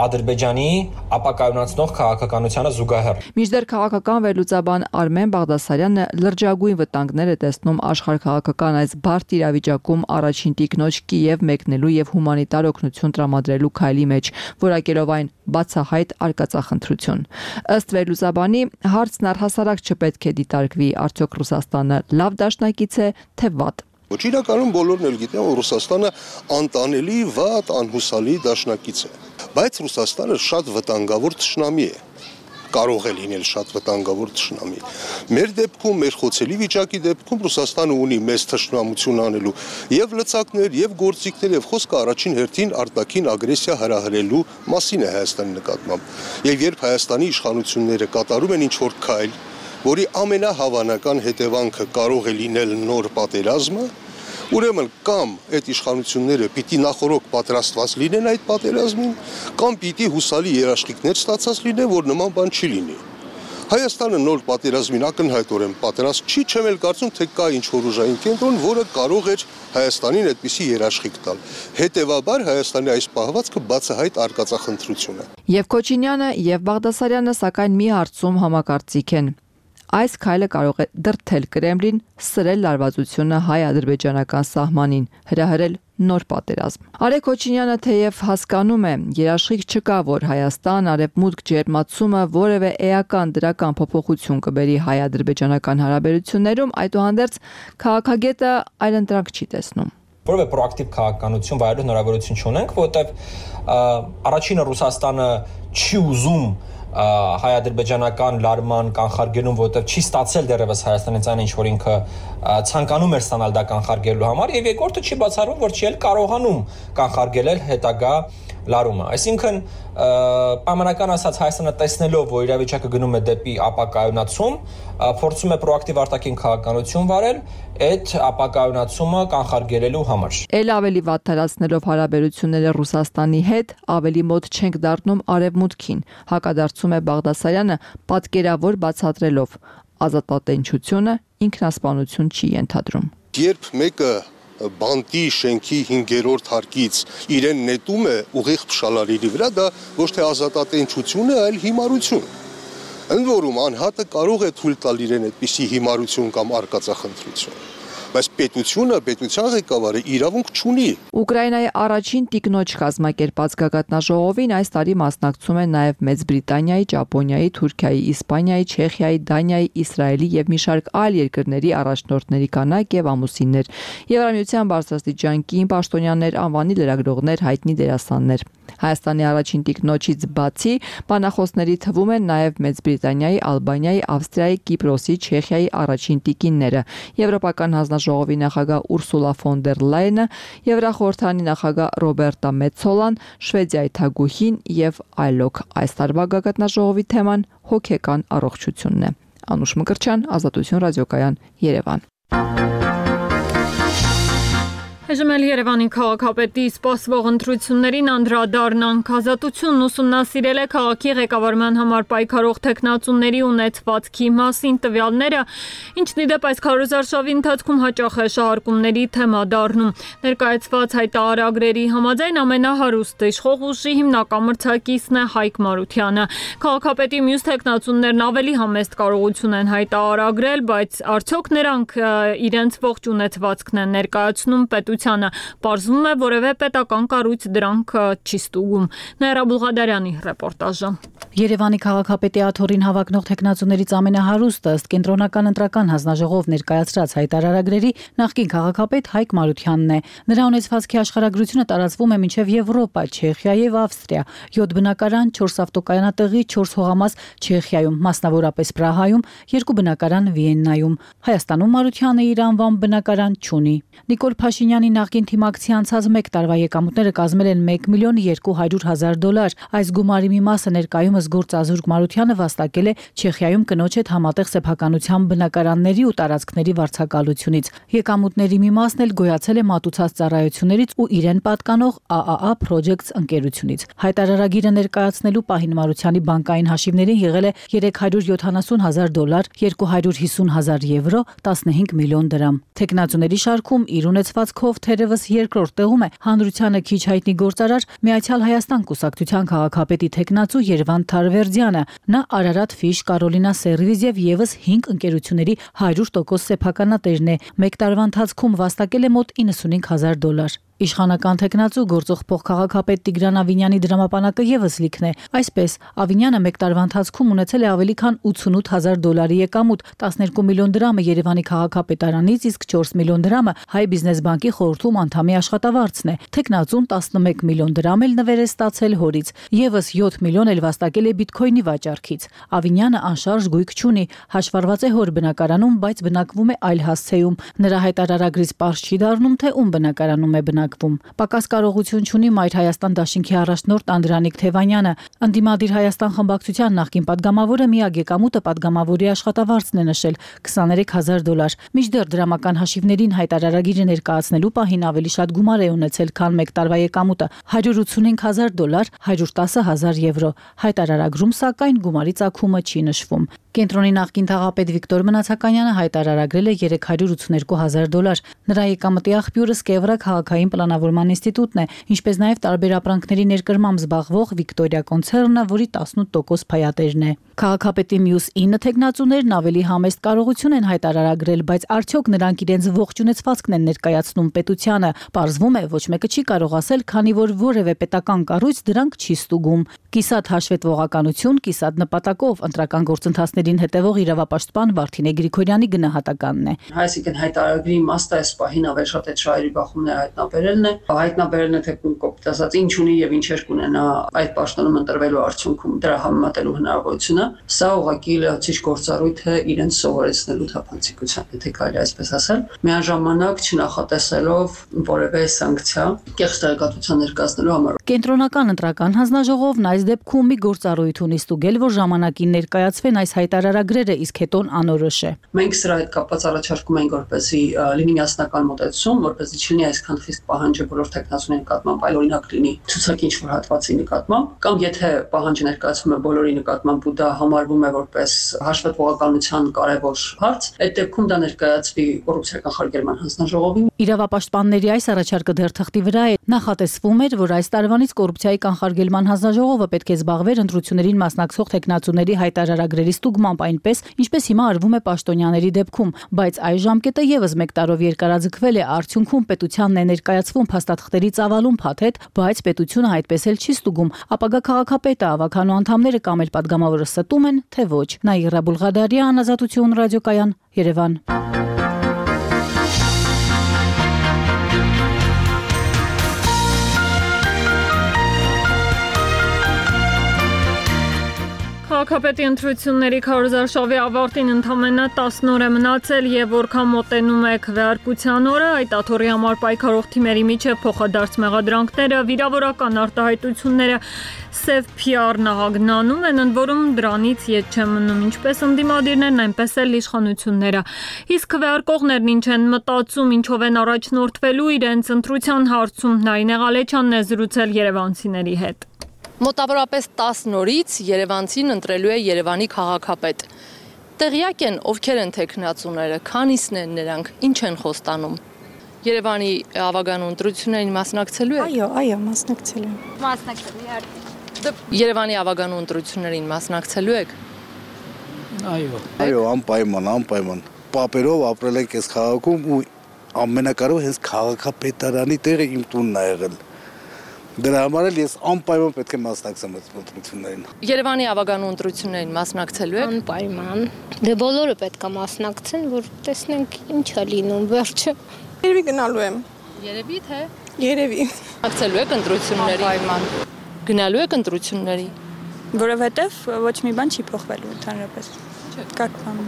Ադրբեջանի ապակայունացնող քաղաքականությանը զուգահեռ։ Մինչդեռ քաղաքական վերլուծաբան Արմեն Բաղդասարյանը լրջագույն վտանգներ է տեսնում աշխարհքաղաքական այս բարդ իրավիճակում առաջին տիկնոջ Կիև մեկնելու եւ հումանիտար օգնություն տրամադրելու քայլի մեջ, որակելով այն բացահայտ արկածախնդրություն։ Ըստ վերլուծաբանի, հարցն առհասարակ չպետք է դիտարկվի, արդյոք Ռուսաստանը լավ դաշնակից է, թե վատ։ Ոչ իրականում բոլորն էլ գիտեն, որ Ռուսաստանը անտանելի, վատ, անհուսալի դաշնակից է, բայց Ռուսաստանը շատ վտանգավոր թշնամի է, կարող է լինել շատ վտանգավոր թշնամի։ Մեր դեպքում, մեր խոցելի վիճակի դեպքում Ռուսաստանը ունի մեծ թշնամություն անելու եւ լծակներ, եւ գործիքներ, եւ խոսքը առաջին հերթին արտաքին ագրեսիա հրահրելու մասին է Հայաստանի նկատմամբ։ Եվ երբ Հայաստանի իշխանությունները կատարում են ինչ-որ քայլ, որի ամենահավանական հետևանքը կարող է լինել նոր պատերազմը, ուրեմն կամ այդ իշխանությունները պիտի նախորոք պատրաստված լինեն այդ պատերազմին, կամ պիտի հուսալի երաշխիքներ ստացած լինեն, որ նման բան չի լինի։ Հայաստանը նոր պատերազմին ակնհայտորեն պատերազմ չի, չեմ էլ կարծում, թե կա ինչ-որ ուժային կենտրոն, որը կարող էր Հայաստանին այդպիսի երաշխիք տալ։ Հետևաբար Հայաստանի այս պահվածքը բացահայտ արկածախնդրություն է։ Եվ Քոչինյանը, եւ Բաղդասարյանը սակայն մի հարցում համակարծիք են։ Այս քայլը կարող է դրդել Կրեմլին սրել լարվածությունը հայ-ադրբեջանական սահմանին, հրահրել նոր պատերազմ։ Արեգ Քոչինյանը թեև հասկանում է, երաշխիք չկա, որ Հայաստան արևմուտք ջերմացումը որևէ էական դրական փոփոխություն կբերի հայ-ադրբեջանական հարաբերություններում, այդուհանդերձ քաղաքագետը այլընտրանք չի տեսնում։ Որովե պրոակտիվ քաղաքականություն վայելելու հնարավորություն չունենք, որովհետև առաջինը Ռուսաստանը չի ուզում հայ-ադրբեջանական լարման կանխարգելում, որովհետև չի ստացել դեռևս Հայաստանից այն ինչ որ ինքը ցանկանում էր ստանալ դա կանխարգելելու համար, եւ երկրորդը չի բացառվում, որ չի էլ կարողանում կանխարգելել հետագա լարումը։ Այսինքն պայմանական ասած Հայաստանը տեսնելով, որ իրավիճակը գնում է դեպի ապակայունացում, փորձում է պրոակտիվ արտաքին քաղաքականություն վարել այդ ապակայունացումը կանխարգելելու համար։ Էլ ավելի վատթարացնելով հարաբերությունները Ռուսաստանի հետ, ավելի մոտ չենք դառնում արևմուտքին, հակադարձում է Բաղդասարյանը, պատկերավոր բացատրելով ազատատենչությունը ինքնասպանություն չի ենթադրում։ Երբ մեկը բանտի շենքի հինգերորդ հարկից իրեն նետում է ուղիղ փշալարիրի վրա, դա ոչ թե ազատատենչություն է, այլ հիմարություն։ Ընդ որում անհատը կարող է թույլ տալ իրեն այդպիսի հիմարություն կամ արկածախնդրություն, բայց պետությունը, պետության ղեկավարը իրավունք չունի։ Ուկրաինայի առաջին տիկնոջ կազմակերպած գագաթնաժողովին այս տարի մասնակցում են նաև Մեծ Բրիտանիայի, Ճապոնիայի, Թուրքիայի, Իսպանիայի, Չեխիայի, Դանիայի, Իսրայելի եւ մի շարք այլ երկրների առաջնորդների կանայք եւ ամուսիններ, Եվրամիության բարձրաստիճան կին պաշտոնյաներ, անվանի լրագրողներ, հայտնի դերասաններ։ Հայաստանի առաջին տիկնոջից բացի բանախոսների թվում են նաև Մեծ Բրիտանիայի, Ալբանիայի, Ավստրիայի, Կիպրոսի, Չեխիայի առաջին տիկինները, Եվրոպական հանձնաժողովի նախագահ Ուրսուլա ֆոն դեր Լայենը, Եվրախորհրդանի նախագահ Ռոբերտա Մեցոլան, Շվեդիայի թագուհին եւ այլոք։ Այս տարվա գագաթնաժողովի թեման հոգեկան առողջությունն է։ Անուշ Մկրտչյան, Ազատություն ռադիոկայան, Երևան։ Այժմ էլ Երևանի քաղաքապետի սպասվող ընտրություններին անդրադառնանք։ Ազատությունն ուսումնասիրել է քաղաքի ղեկավարման համար պայքարող տեխնացուների ունեցվածքի մասին տվյալները, ինչն ի դեպ այս քարոզարշավի ընթացքում հաճախ է շահարկումների թեմա դառնում։ Ներկայացված հայտարարագրերի համաձայն ամենահարուստ իշխող ուժի հիմնական մրցակիցն է Հայկ Մարությանը։ Քաղաքապետի մյուս տեխնացուներն ավելի համեստ կարողություն են հայտարարագրել, բայց արդյոք նրանք իրենց ողջ ունեցվածքն են ներկայացնում պետության Պարզվում է, որևէ պետական կառույց դրանք չի ստուգում։ Նաիրա Բուլղադարյանի ռեպորտաժը։ Երևանի քաղաքապետի աթոռին հավակնող տեխնացուներից ամենահարուստը ըստ կենտրոնական ընտրական հանձնաժողով ներկայացրած հայտարարագրերի նախկին քաղաքապետ Հայկ Մարությանն է։ Նրա ունեցվածքի աշխարհագրությունը տարածվում է մինչև Եվրոպա, Չեխիա եւ Ավստրիա, յոթ բնակարան, չորս ավտոկայանատեղի, չորս հողամաս Չեխիայում, մասնավորապես Պրահայում, երկու բնակարան Վիեննայում։ Հայաստանում Մարությանը իր անվան բնակարան չունի։ Նիկոլ Փաշինյանի նախկին թիմակցի անցած մեկ տարվա եկամուտները կազմել են մեկ միլիոն երկու հարյուր հազար դոլար։ Այս գումարի մի մասը ներկայումս գործազուրկ Մարությանը վաստակել է Չեխիայում կնոջ հետ համատեղ սեփականության բնակարանների ու տարածքների վարձակալությունից։ Եկամուտների մի մասն էլ գոյացել է մատուցած ծառայություններից ու իրեն պատկանող A A A Projects ընկերությունից։ Հայտարարագիրը ներկայացնելու պահին Մարությանի բանկային հաշիվներին եղել է երեք հարյուր յոթանասուն հազար դոլար, երկու հարյուր հիսուն հազար եվրո, տասնհինգ միլիոն դրամ։ Տեխնացուների շարքում իր ունեցվածքով թերևս երկրորդ տեղում է հանրությանը քիչ հայտնի գործարար Միացյալ Հայաստան կուսակցության քաղաքապետի տեխնացու Երվանդ Թարվերդյանը։ Նա Արարատ Ֆիշ, Կարոլինա Սերվիզ եւ եւս հինգ ընկերությունների հարյուր տոկոս սեփականատերն է։ Մեկ տարվա ընթացքում վաստակել է մոտ իննսունհինգ հազար դոլար։ Իշխանական տեխնացու գործող փոխքաղաքապետ Տիգրան Ավինյանի դրամապանակը եւս լիքն է։ Այսպես, Ավինյանը մեկ տարվա ընթացքում ունեցել է ավելի քան ութսունութ հազար դոլարի եկամուտ, տասներկու միլիոն դրամը Երևանի քաղաքապետարանից, իսկ չորս միլիոն դրամը Հայ բիզնես բանկի խորհրդում անդամի աշխատավարձն է։ Տեխնացուն տասնմեկ միլիոն դրամ էլ նվեր է ստացել հորից, եւս յոթ միլիոն էլ վաստակել է բիթքոյնի վաճառքից։ Ավինյանը անշարժ գույք չունի, հաշվառված է հոր բնակարանում, բայց բնակվում է այլ հասցեում։ Նրա հայտարարագրից պարզ չի դառնում, թե ում բնակարանում է բնակվում։ քննարկվում։ Պակաս կարողություն չունի Մայր Հայաստան դաշինքի առաջնորդ Անդրանիկ Թևանյանը։ Ընդդիմադիր Հայաստան խմբակցության նախկին падգամավորը միակ եկամուտը падգամավորի աշխատավարձն է նշել քսաներեք հազար դոլար։ Մինչդեռ դրամական հաշիվներին հայտարարագիրը ներկայացնելու պահին ավելի շատ գումար է ունեցել, քան մեկ տարվա եկամուտը՝ հարյուր ութսունհինգ հազար դոլար, հարյուր տասը հազար եվրո։ Հայտարարագրում սակայն գումարի ծագումը չի նշվում։ Կենտրոնի նախկին թաղապետ Վիկտոր Մնացականյանը հայտարարագրել է երեք հարյուր ութսուներկու հազար դոլար։ Նրա եկամտի աղբյուրը Սկևրա քաղաքային պլանավորման ինստիտուտն է, ինչպես նաև տարբեր ապրանքների ներկրմամբ զբաղվող Վիկտորիա կոնցեռնը, որի տասնութ տոկոս փայատերն է։ Քաղաքապետի մյուս ինը թեկնածուներն ավելի համեստ կարողություն են հայտարարագրել, բայց արդյոք նրանք իրենց ողջունեցվածքն են ներկայացնում պետությանը։ Պարզվում է, ոչ մեկը չի կարող ասել, քանի որ որևէ պետական կառույց դրանք չի ստուգում։ Կիսատ հաշվետվողականություն, կիսատ նպատակով ընտրական գործընթացներին հետևող իրավապաշտպան Վարդինե Գրիգորյանի գնահատականն է։ Այսինքն հայտարարագրի իմաստը այս պահին ավելի շատ այդ շահերի բախումները հայտնաբերելն է, հայտնաբերելն է թե կոպիտ ասած ինչ ունի եւ ինչեր կունենա այդ պաշտոնում ընտրվելու արդյունքում դրա համեմատելու հնարավորությունը։ Սա ուղղակի լրացիչ գործառույթ է իրենց սովորեցնելու թափանցիկության, եթե կարելի այսպես ասել, միաժամանակ չնախատեսելով որևէ սանկցիա կեղծ տեղեկատվության ներկայացնելու համար։ Կենտրոնական ընտրական հանձնաժողովն այս դեպքում մի գործառույթ ունի ստուգել, որ ժամանակին ներկայացվեն այս հայտարարագրերը, իսկ հետոն անորոշ է։ Մենք սրա հետ կապված առաջարկում ենք, որպեսզի լինի միասնական մոտեցում, որպեսզի չլինի այսքան խիստ պահանջը բոլոր տեխնացուների նկատմամբ, այլ օրինակ լինի ցուցակի ինչ-որ հատվածի նկատմամբ, կամ եթե պահանջը ներկայացվում է բոլորի նկատմամբ ու դա համարվում է որպես հաշվետվողականության կարևոր հարց, այդ դեպքում դա ներկայացվի կոռուպցիայի կանխարգելման հանձնաժողովին։ Իրավապաշտպանների այս առաջարկը դեռ թղթի վրա է։ Նախատեսվում էր, որ այս տարվանից կոռուպցիայի կանխարգելման հանձնաժողովը պետք է զբաղվեր ընտրություններին մասնակցող տեխնացուների հայտարարագրերի ստուգմամբ այնպես, ինչպես հիմա արվում է պաշտոնյաների դեպքում, բայց այս ժամկետը եւս մեկ տարով երկարաձգվել է, արդյունքում պետությանն է ներկայացվում փաստաթղթերի ծավալուն փաթեթ, բայց պետությունը այդպես էլ չի ստուգում։ Ապագա քաղաքապետը, ավականու անդամները կամ էլ падգամավորը ստում են, թե ոչ։ Նաիրա Բուլղադարյան, Ազատություն ռադիոկայան, Երևան։ Քաղաքապետի ընտրությունների քարոզարշավի ավարտին ընդամենը տասն օր է մնացել եւ որքան մոտենում է քվեարկության օրը, այդ աթոռի համար պայքարող թիմերի միջև փոխադարձ մեղադրանքները, վիրավորական արտահայտությունները սև փի ար նահագնանում են, ընդ որում դրանից ետ չեն մնում ինչպես ընդդիմադիրներն, այնպես էլ իշխանությունները։ Իսկ քվեարկողներն ինչ են մտածում, ինչով են առաջնորդվելու իրենց ընտրության հարցում, Նարինե Ղալեչյանն է զրուցել երևանցիների հետ։ Մոտավորապես տասն օրից Երևանցին ընտրելու է Երևանի քաղաքապետ։ Տեղյակ են ովքեր են տեխնացուները, քանիսն են նրանք, ինչ են խոստանում։ Երևանի ավագանու ընտրություններին մասնակցելու եք։ Այո, այո, մասնակցելու եմ։ Մասնակցելու եմ։ Երևանի ավագանու ընտրություններին մասնակցելու եք։ Այո։ Այո, անպայման, անպայման։ Պապերով ապրել ենք այս քաղաքում ու ամենակարևորը հենց քաղաքապետարանի տեղը իմ տունն է եղել։ Դրա համար էլ ես անպայման պետք է մասնակցեմ այդ ընտրություններին։ Երևանի ավագանու ընտրություններին մասնակցելու եք։ Անպայման։ Դե բոլորը պետք է մասնակցեն, որ տեսնենք ինչ է լինում վերջը։ Երևի գնալու եմ։ Երևի թե։ Երևի։ Մասնակցելու եք ընտրությունների։ Անպայման։ Գնալու եք ընտրությունների։ Որովհետև ոչ մի բան չի փոխվելու ընդհանրապես։ Как вам։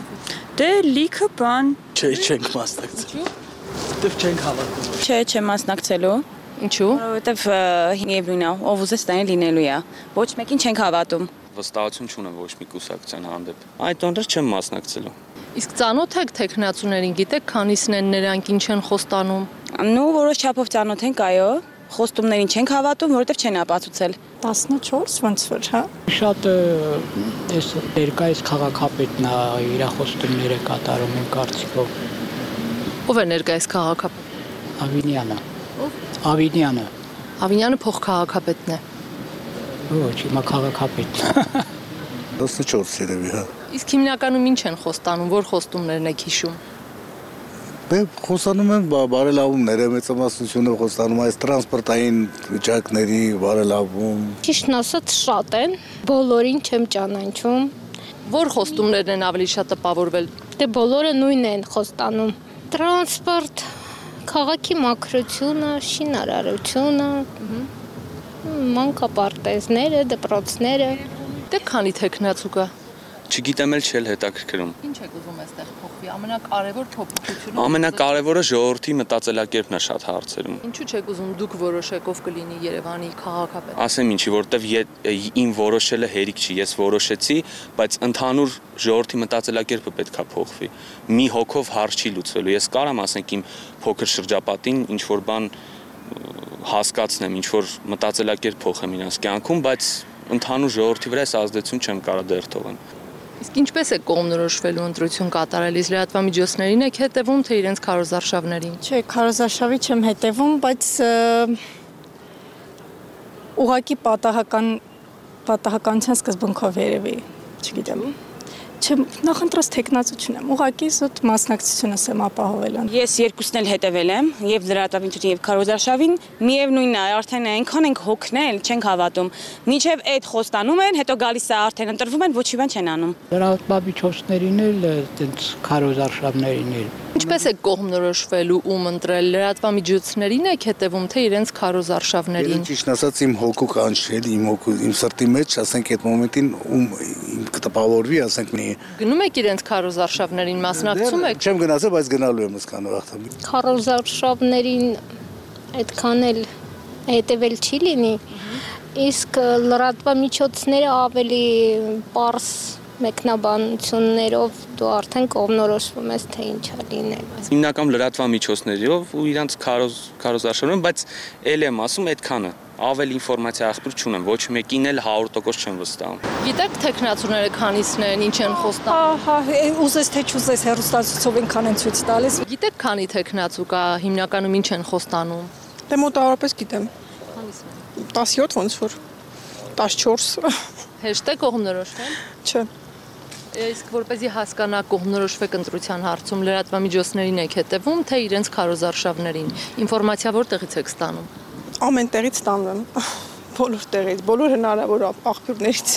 Դե լիքը բան։ Չէ, չենք մասնակցելու։ Դեռ չենք հավատում։ Չէ, չեմ մասնակցելու։ Ինչու՞։ Որովհետև Եվրինա, ով ուզես տանի լինելու է։ Ոչ մեկին չենք հավատում։ Վստահություն չունեմ ոչ մի կուսակցության հանդեպ։ Այդ օրը չեմ մասնակցելու։ Իսկ ծանոթ եք տեխնացուներին, գիտեք քանիսն են նրանք, ինչ են խոստանում։ Նու որոշ չափով ծանոթ ենք, այո։ Խոստումներին չենք հավատում, որովհետև չեն ապացուցել։ տասնչորս ոնց որ, հա։ Շատ էս ներկայիս քաղաքապետն է իր խոստումները կատարում են կարծիքով։ Ո՞վ է ներկայիս քաղաքապետ։ Ավինյանը։ Ավինյանը։ Ավինյանը փոխքաղաքապետն է։ Ոչ, հիմա քաղաքապետն է։ տասնչորս երևի, հա։ Իսկ հիմնականում ինչ են խոստանում, որ խոստումներն եք հիշում։ Դե խոստանում են բարելավումները, մեծամասնությունը խոստանում այս տրանսպորտային վիճակների բարելավում։ Ճիշտն ասած շատ են, բոլորին չեմ ճանաչում։ Որ խոստումներն են ավելի շատ տպավորվել։ Դե բոլորը նույնն են խոստանում։ Տրանսպորտ, քաղաքի մաքրությունը, շինարարությունը, մանկապարտեզները, դպրոցները։ Դե քանի տեխնացու կա։ Չգիտեմ էլ չել հետաքրքրում։ Ինչ եք ուզում այստեղ փոխվի։ Ամենակարևոր փոփոխությունը Ամենակարևորը ժողովրդի մտածելակերպն է շատ հարցերում։ Ինչու չեք ուզում դուք որոշեք ով կլինի Երևանի քաղաքապետ։ Ասեմ ինչի, որովհետև իմ որոշելը հերիք չի, ես որոշեցի, բայց ընդհանուր ժողովրդի մտածելակերպը պետքա փոխվի։ Մի հոգով հարց չի լուծվելու։ Ես կարամ ասենք իմ փոքր շրջապատին ինչ որ բան հասկացնեմ, ինչ որ մտածելակերպ փոխեմ իրենց կյանքում, բայց ընդհանուր ժողովրդի վրա այս ազդեցություն չեմ կարող դեռ թողեմ։ Իսկ ինչպես է կողմնորոշվելու ընտրություն կատարելիս լրատվամիջոցներին եք հետևում, թե իրենց քարոզարշավներին։ Չէ, քարոզարշավի չեմ հետևում, բայց ուղղակի պատահական պատահականության սկզբունքով երևի, չգիտեմ։ Չեմ նախընտրած տեխնացություն եմ, ուղղակի զուտ մասնակցությունս եմ ապահովել։ Ես երկուսն էլ հետևել եմ, եւ լրատվամիջոցին եւ քարոզարշավին, միևնույնն է, արդեն այնքան ենք հոգնել, չենք հավատում։ Մինչեւ այդ խոստանում են, հետո գալիս է արդեն ընտրվում են, ոչի բան չեն անում։ Լրատվամիջոցներին էլ, այդպես քարոզարշավներին էլ։ Ինչպես է կողմնորոշվելու ում ընտրել լրատվամիջոցներին եք հետևում, թե իրենց քարոզարշավներին։ Ճիշտ ասած իմ հոգու կանչել, իմ հոգու, իմ սրտի մեջ, ասենք այդ մոմենտին ում իմ կտպավորվի, ասենք մի Գնում եք իրենց քարոզարշավներին, մասնակցում եք։ Չեմ գնացել, բայց գնալու եմ ասկանը վաղտամ։ Քարոզարշավներին այդքան էլ հետևել չի լինի, իսկ լրատվամիջոցները ավելի պարզ մեկնաբանություններով դու արդեն կողմնորոշվում ես, թե ինչա լինել։ Հիմնական լրատվամիջոցներով ու իրանց քարոզարշավներում, բայց ել եմ ասում այդքանը։ Ավելի ինֆորմացիա աղբյուր չունեմ, ոչ մեկին էլ հարյուր տոկոս չեմ վստահում։ Գիտեք տեխնացուները քանիսն են, ինչ են խոստանում։ Հա, ուզես թե չուզես հեռուստացույցով ինքան են ցույց տալիս։ Գիտեք քանի տեխնացու կա, հիմնականում ինչ են խոստանում։ Դե մոտավորապես գիտեմ։ Քանիսն են։ տասնյոթ ոնց որ տասնչորս։ Հեշտ է կողմնորոշվել։ Չէ։ Իսկ որպեսզի հասկանաք կողմնորոշվեք ընտրության հարցում լրատվամիջոցներին եք հետևում, թե իրենց քարոզարշավներին։ Ինֆորմացիա որտեղից եք ստանում։ Ամեն տեղից ստանում եմ, բոլոր տեղից, բոլոր հնարավոր աղբյուրներից։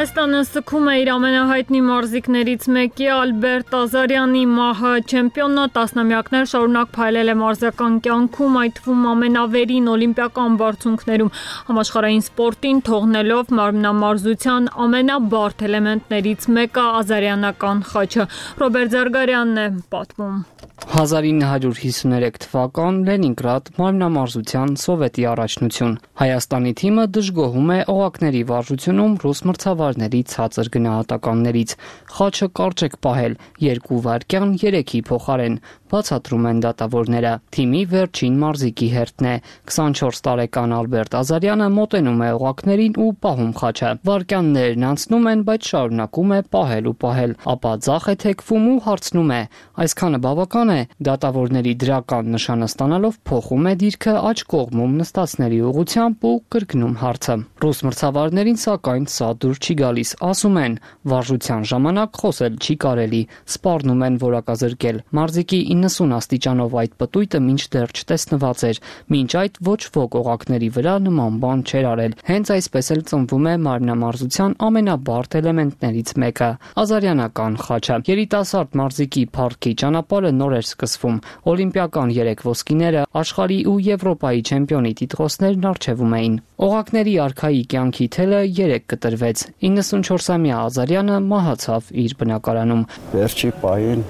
Հայաստանը սկում է իր ամենահայտնի մարզիկներից մեկի Ալբերտ Ազարյանի մահը։ Չեմպիոնը տասնամյակներ շարունակ փայլել է մարզական կյանքում, այդ թվում ամենավերին օլիմպիական բարձունքներում, համաշխարհային սպորտին թողնելով մարմնամարզության ամենաբարդ էլեմենտներից մեկը ազարյանական խաչը։ Ռոբերտ Զարգարյանն է պատմում։ հազար ինը հարյուր հիսուներեք թվական Լենինգրադ մարմնամարզության սովետի առաջնություն։ Հայաստանի թիմը դժգոհում է օղակների վարժությունում ռուս մրցավարների ցածր գնահատականներից։ Խաչը կարճ պահել երկու վայրկյան երեքի փոխարեն, բացատրում են դատավորները։ Թիմի վերջին մարզիկի հերթն է։ քսանչորս տարեկան Ալբերտ Ազարյանը մոտենում է օղակներին ու պահում խաչը։ Վայրկյաններն անցնում են, բայց շարունակում է պահել ու պահել, ապա ձախ է թեքվում ու հարցնում է. այսքանը բավական է։ Դատավորների դրական նշանը ստանալով փոխում է դիրքը աջ կողմում նստածների ուղղությամբ ու կրկնում հարցը։ Ռուս մրցավարներին սակայն սա դուր չի գալիս, ասում են, վարժության ժամանակ խոսել չի կարելի, սպառնում են որակազրկել։ Մարզիկի իննսուն աստիճանով այդ պտույտը մինչդեռ չտեսնված էր, մինչ այդ ոչ ոք օղակների վրա նման բան չէր արել։ Հենց այսպես էլ ծնվում է մարմնամարզության ամենաբարդ էլեմենտներից մեկը՝ ազարյանական խաչը։ Երիտասարդ մարզիկի փառքի ճանապարհը նոր էր սկսվում։ Օլիմպիական երեք ոսկիները, աշխարհի ու Եվրոպայի չեմպիոնի տիտղոսներն առջևում էին։ Օղակների արքայի կյանքի թելը երեք կտրվեց։ իննսունչորսամյա Ազարյանը մահացավ իր բնակարանում։ Վերջի պահին,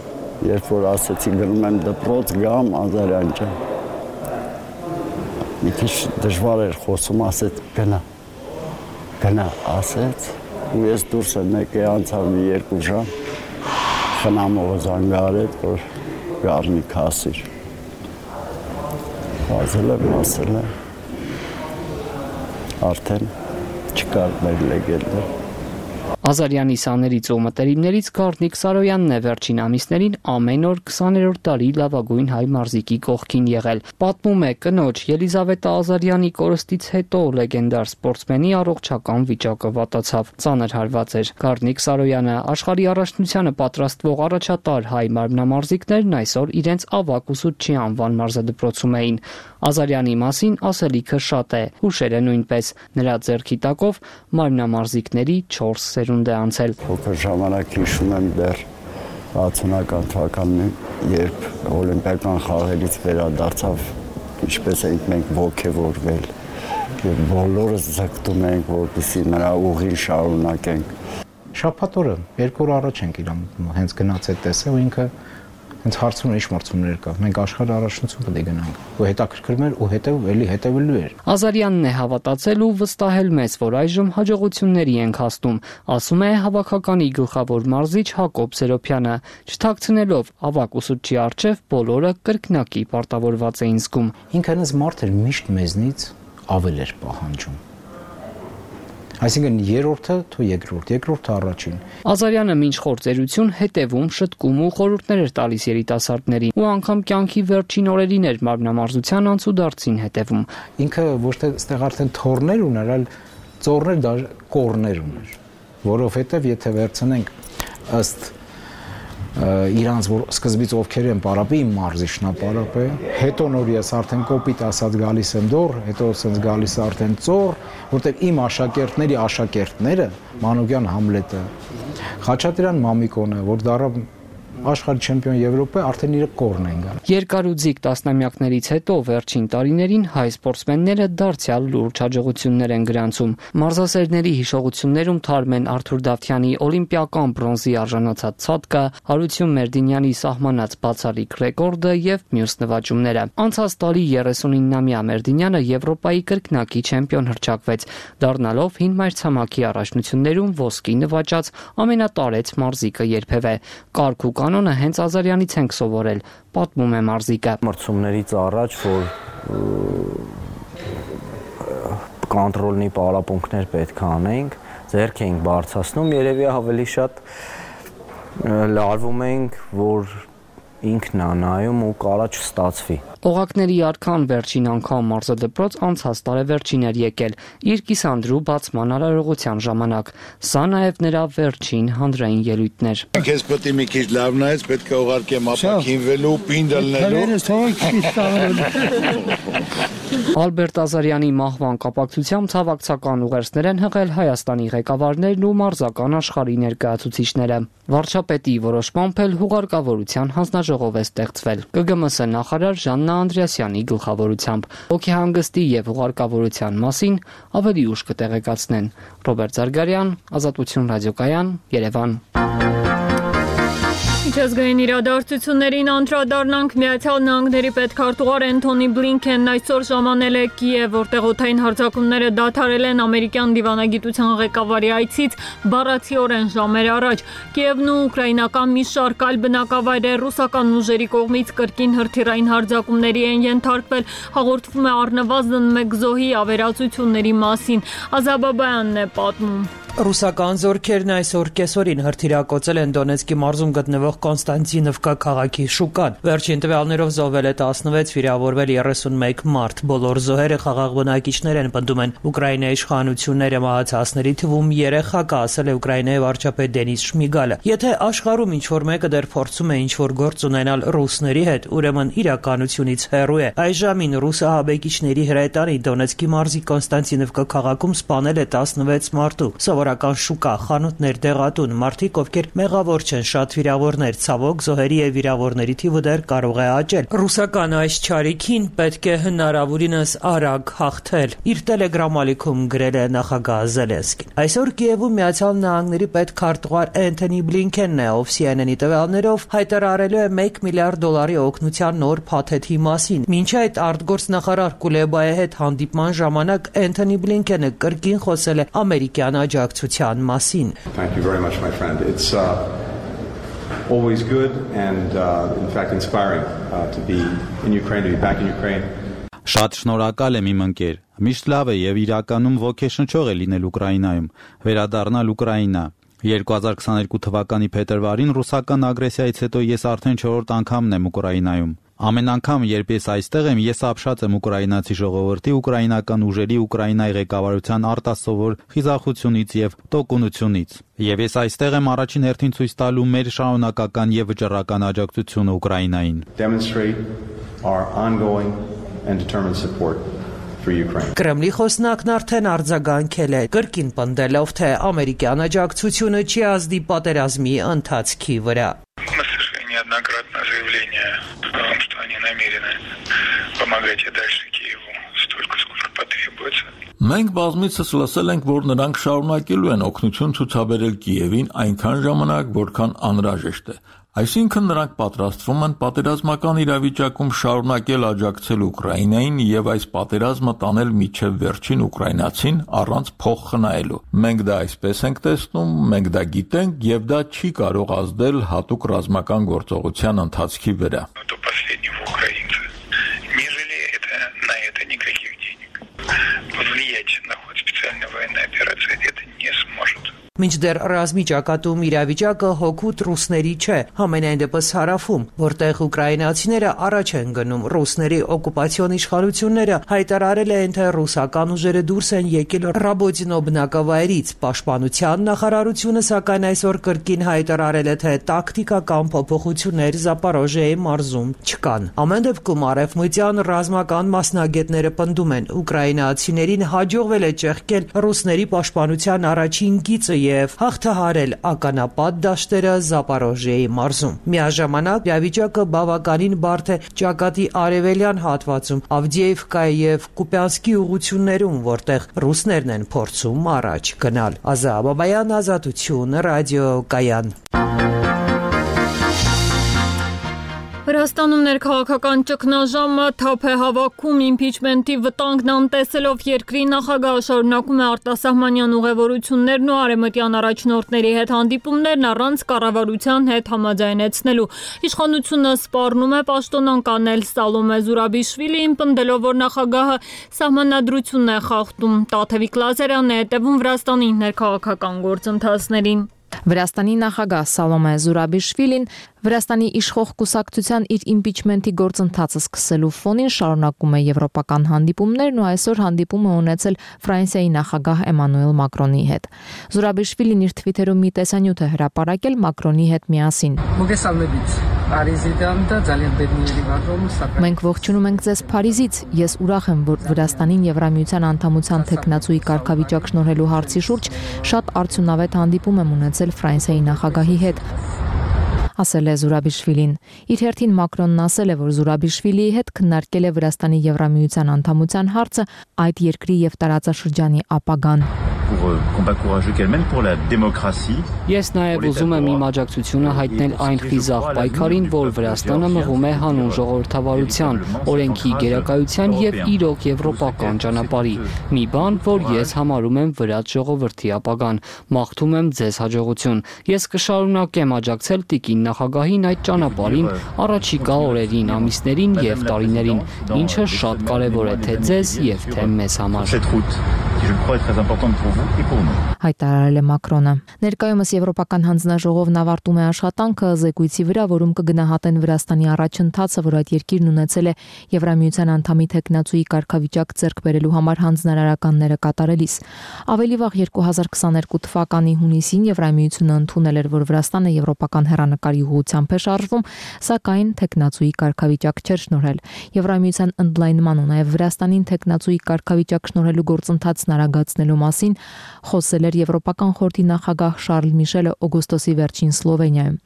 երբ որ ասեցի գնում եմ դպրոց գամ, Ազարյան ջան, մի քիչ դժվար էր խոսում, ասեց գնա, գնա, ասեց, ու ես դուրս եմ եկել, անցավ մի երկու ժամ, խնամողը զանգարեց, որ գարնիկ հասիր։ Հազել եմ, ասել եմ, արդեն չկար մեր լեգենդը։ Ազարյանի սաներից ու մտերիմներից Գառնիկ Սարոյանն է վերջին ամիսներին ամեն օր քսաներորդ դարի լավագույն հայ մարզիկի կողքին եղել։ Պատմում է կնոջ Ելիզավետա Ազարյանի կորստից հետո լեգենդար սպորտսմենի առողջական վիճակը վատացավ, ծանր հարված էր։ Գառնիկ Սարոյանը աշխարհի առաջնությանը պատրաստվող առաջատար հայ մարմնամարզիկներն այսօր իրենց ավագ ուսուցչի անվան մարզադպրոցում էին։ Ազարյանի մասին ասելիքը շատ է, հուշերը նույնպես։ Նրա ձեռքի տակով մարմնամարզիկների չորս սերունդ է անցել։ Փոքր ժամանակ հիշում եմ դեռ հացունական թվականին, երբ օլիմպիական խաղերից վերադարձավ, ինչպես ենք մենք ոգևորվել եւ բոլորս ձգտում ենք, որպեսզի նրա ուղին շարունակենք։ Շաբաթ օրը երկու օր առաջ ենք իրամուտում, հենց գնաց այդ տեսել ու ինքը հենց հարցում էր, ինչ մրցումներ կա։ Մենք աշխարհի առաջնություն պետք է գնանք։ Ու հետաքրքրում էր ու հետև էլի հետևելու էր։ Ազարյանն է հավատացել ու վստահել մեզ, որ այժմ հաջողությունների ենք հասնում, ասում է հավաքականի գլխավոր մարզիչ Հակոբ Սերոփյանը, չթաքցնելով ավագ ուսուցչի առջև բոլորը կրկնակի պարտավորված էին զգում։ Ինքնից մարդ էր միշտ մեզնից ավել էր պահանջում։ Այսինքն երրորդը թո երկրորդ, երկրորդը առաջին։ Ազարյանը մինչ խորձերություն հետևում, շտկում ու խորհուրդներ էր տալիս երիտասարդներին ու անգամ կյանքի վերջին օրերին էր մարմնամարզության անցուդարձին հետևում։ Ինքը ոչ թե այստեղ արդեն թորներ ուներ, այլ ծորներ, դա կորներ ուներ, որովհետև եթե վերցնենք ըստ իրանց որ սկզբից ովքեր են պարապի, իմ մարզիչն է պարապե, հետո նոր ես արդեն կոպիտ ասած գալիս եմ դոր, հետո ասենց գալիս արդեն ծոր, որտեղ իմ աշակերտների աշակերտները, Մանուկյան Համլետը, Խաչատրյան Մամիկոնը, որ դառավ աշխարհի չեմպիոն Եվրոպա, արդեն իրը կորն են գալ։ Երկարուձիգ տասնամյակներից հետո վերջին տարիներին հայ սպորտսմենները դարձյալ լուրջ հաջողություններ են գրանցում։ Մարզասերների հիշողություններում թարմ են Արթուր Դավթյանի օլիմպիական բրոնզի արժանացած ցածկը, Հարություն Մերդինյանի սահմանած բացառիկ ռեկորդը եւ մյուս նվաճումները։ Անցած տարի երեսունինամյա Մերդինյանը Եվրոպայի կրկնակի չեմպիոն հռչակվեց, դառնալով հին մայրցամաքի առաջնություններում ոսկի նվաճած ամենատարեց մարզիկը երբևէ։ Կարգ ու կանոնը հենց Ազարյանից ենք սովորել, պատմում է մարզիկը։ Մրցումներից առաջ, որ կոնտրոլնի պարապմունքներ պետք է անենք, ձեռք էինք բարձրացնում, երևի ավելի շատ լարվում ենք, որ ինքն է նայում ու կարա չստացվի։ Օղակների արքան վերջին անգամ մարզադպրոց անցած տարեվերջին էր եկել իր կիսանդրու բացման արարողության ժամանակ։ Սա նաև նրա վերջին հանրային ելույթն էր։ Քեզ պետք է մի քիչ լավ նայես, պետք է ուղարկեմ ապակինվելու, պինդ ելնելու։ Ալբերտ Ազարյանի մահվան կապակցությամբ ցավակցական ուղերձներ են հղել Հայաստանի ղեկավարներն ու մարզական աշխարհի ներկայացուցիչները։ Վարչապետի որոշմամբ էլ հուղարկավորության հանձնաժողով է ստեղծվել։ Կ Գ M S նախարար Ժաննա Անդրեասյանի գլխավորությամբ։ Հոգեհանգստի եւ հուղարկավորության մասին ավելի ուշ կտեղեկացնեն։ Ռոբերտ Զարգարյան, Ազատություն ռադիոկայան, Երևան։ Միջազգային իրադարձություններին անդրադառնանք։ Միացյալ Նահանգների պետքարտուղար Էնթոնի Բլինքենն այսօր ժամանել է Կիև, որտեղ օդային հարձակումները դադարել են ամերիկյան դիվանագիտության ղեկավարի այցից բառացիորեն ժամեր առաջ։ Կիևն ու ուկրաինական մի շարք այլ բնակավայրեր ռուսական ուժերի կողմից կրկին հրթիռային հարձակումների են ենթարկվել, հաղորդվում է առնվազն մեկ զոհի ավերածությունների մասին։ Ազաբաբայանն է պատմում։ Ռուսական զորքերն այսօր կեսօրին հրթիռակոծել են Դոնեցկի մարզում գտնվող Կոնստանտինովկա քաղաքի շուկան։ Վերջին տվյալներով զոհվել է տասնվեց, վիրավորվել երեսունմեկ մարդ։ Բոլոր զոհերը խաղաղ բնակիչներ են, պնդում են Ուկրաինայի իշխանությունները, մահացածների թվում երեխա կա, ասել է Ուկրաինայի վարչապետ Դենիս Շմիգալը։ Եթե աշխարհում ինչ-որ մեկը դեռ փորձում է ինչ-որ գործ ունենալ ռուսների հետ, ուրեմն իրականությունից հեռու է։ Այժմին ռուս ահաբեկիչների հրետանի Դոնեցկի մարզի Կոնստանտինովկա քաղաքում սպանել է տասնվեց մարդու։ Սովորական շուկա, խանութներ, դեղատուն, մարդիկ, ովքեր մեղավոր չեն, շատ վիրավորներ, ցավոք զոհերի եւ վիրավորների թիվը դեռ կարող է աճել։ Ռուսական այս չարիքին պետք է հնարավորինս արագ հաղթել, իր տելեգրամ ալիքում գրել է նախագահ Զելենսկին։ Այսօր Կիևում Միացյալ Նահանգների պետքարտուղար Էնթոնի Բլինքենն է, ով C N N-ի տվյալներով հայտարարելու է մեկ միլիարդ դոլարի օգնության նոր փաթեթի մասին։ Մինչ այդ արտգործնախարար Կուլեբայի հետ հանդիպման ժամանակ Էնթոնի Բլինքենը կրկին խոսել է ամերիկյան աջակցության մասին։ Thank you very much, my friend. It's uh, always good and uh, in fact inspiring uh, to be in Ukraine, to be back in Ukraine. Շատ շնորհակալ եմ իմ ընկեր։ Միշտ լավ է եւ իրականում ոգեշնչող է լինել Ուկրաինայում, վերադառնալ Ուկրաինա։ երկու հազար քսաներկու թվականի փետրվարին ռուսական ագրեսիայից հետո ես արդեն չորրորդ անգամն եմ Ուկրաինայում։ Ամեն անգամ, երբ ես այստեղ եմ, ես ապշած եմ ուկրաինացի ժողովրդի, ուկրաինական ուժերի, Ուկրաինայի ղեկավարության արտասովոր խիզախությունից եւ տոկունությունից։ Եվ ես այստեղ եմ առաջին հերթին ցույց տալու մեր շարունակական եւ վճռական աջակցությունը Ուկրաինային։ Demonstrate our ongoing and determined support for Ukraine. Կրեմլի խոսնակն արդեն արձագանքել է, կրկին պնդելով, թե ամերիկյան աջակցությունը չի ազդի պատերազմի ընթացքի վրա։ неоднократное заявление о том, что они намерены помогать и дальше Киеву столько, сколько потребуется. Մենք բազմիցս լսել ենք, որ նրանք շարունակելու են օգնություն ցուցաբերել Կիևին այնքան ժամանակ, որքան անհրաժեշտ է։ Այսինքն նրանք պատրաստվում են պատերազմական իրավիճակում շարունակել աջակցել Ուկրաինային եւ այս պատերազմը տանել միջև վերջին ուկրաինացին առանց փող խնայելու։ Մենք դա այսպես ենք տեսնում, մենք դա գիտենք եւ դա չի կարող ազդել հատուկ ռազմական գործողության ընթացքի վրա։ Մինչդեռ ռազմի ճակատում իրավիճակը հօգուտ ռուսների չէ, համենայն դեպս հարավում, որտեղ ուկրաինացիները առաջ են գնում ռուսների օկուպացիոն իշխանությունները հայտարարել են, թե ռուսական ուժերը դուրս են եկել Ռաբոտինո բնակավայրից։ Պաշտպանության նախարարությունը սակայն այսօր կրկին հայտարարել է, թե տակտիկական փոփոխություններ Զապորոժիայի մարզում չկան։ Ամեն դեպքում արևմտյան ռազմական մասնագետները պնդում են, ուկրաինացիներին հաջողվել է ճեղքել ռուսների պաշտպանության առաջին գիծը եւ հաղթահարել ականապատ դաշտերը Զապորոժիայի մարզում։ Միաժամանակ իրավիճակը բավականին բարդ է ճակատի արևելյան հատվածում, Ավդիևկայի եւ Կուպյանսկի ուղություններում, որտեղ ռուսներն են փորձում առաջ գնալ։ Ազա Բաբայան, Ազատություն, ռադիո Կայան։ Վրաստանում ներքաղաքական ճգնաժամը թափ է հավաքում իմպիչմենտի վտանգն անտեսելով երկրի նախագահը շարունակում է արտասահմանյան ուղևորություններն ու արևմտյան առաջնորդների հետ հանդիպումներն առանց կառավարության հետ համաձայնեցնելու։ Իշխանությունը սպառնում է պաշտոնանկանել Սալոմե Զուրաբիշվիլիին, պնդելով, որ նախագահը սահմանադրությունն է խախտում։ Տաթևիկ Լազարյանն է հետևում Վրաստանի ներքաղաքական գործընթացներին։ Վրաստանի նախագահ Սալոմե Զուրաբիշվիլին Վրաստանի իշխող կուսակցության իր իմպիչմենտի գործընթացը սկսելու ֆոնին շարունակում է եվրոպական հանդիպումներն ու այսօր հանդիպում է ունեցել Ֆրանսիայի նախագահ Էմանուել Մակրոնի հետ։ Զուրաբիշվիլին իր թվիթերում մի տեսանյութ է հրապարակել Մակրոնի հետ միասին։ Մենք ողջունում ենք ձեզ Փարիզից։ Ես ուրախ եմ, որ Վրաստանին Եվրամիության անդամության թեկնածուի կարգավիճակ շնորհելու հարցի շուրջ շատ արդյունավետ հանդիպում եմ ունեցել Ֆրանսիայի նախագահի հետ, ասել է Զուրաբիշվիլին։ Իր հերթին Մակրոնն ասել է, որ Զուրաբիշվիլիի հետ քննարկել է Վրաստանի Եվրամիության անդամության հարցը, այդ երկրի եւ տարածաշրջանի ապագան։ Ես նաև ուզում եմ իմ աջակցությունը հայտնել այն խիզախ պայքարին, որ Վրաստանը մղում է հանուն ժողովրդավարության, օրենքի գերակայության եւ իրոք եվրոպական ճանապարհի։ Մի բան, որ ես համարում եմ վրաց ժողովրդի ապագան։ Մաղթում եմ ձեզ հաջողություն։ Ես կշարունակեմ աջակցել տիկին նախագահին այդ ճանապարհին առաջիկա օրերին, ամիսներին եւ տարիներին, ինչը շատ կարեւոր է թե ձեզ եւ թե մեզ համար։ Հայտարարել է Մակրոնը։ Ներկայումս Եվրոպական հանձնաժողովն ավարտում է աշխատանքը զեկույցի վրա, որում կգնահատեն Վրաստանի առաջընթացը, որ այդ երկիրն ունեցել է Եվրամիության անդամի թեկնածուի կարգավիճակ ձեռք բերելու համար հանձնարարականները կատարելիս։ Ավելի վաղ երկու հազար քսաներկու թվականի հունիսին Եվրամիությունը ընդունել էր, որ Վրաստանը եվրոպական հեռանկարի ուղղությամբ է շարժվում, սակայն թեկնածուի կարգավիճակ չէր շնորհել։ Եվրամիության ընդլայնման ու նաև Վրաստանին թեկնածուի կարգավիճակ շնորհելու գործընթացն արագացնելու մասին խոսել էր Եվրոպական խորհրդի նախագահ Շարլ Միշելը օգոստոսի վերջին Սլովենիայում։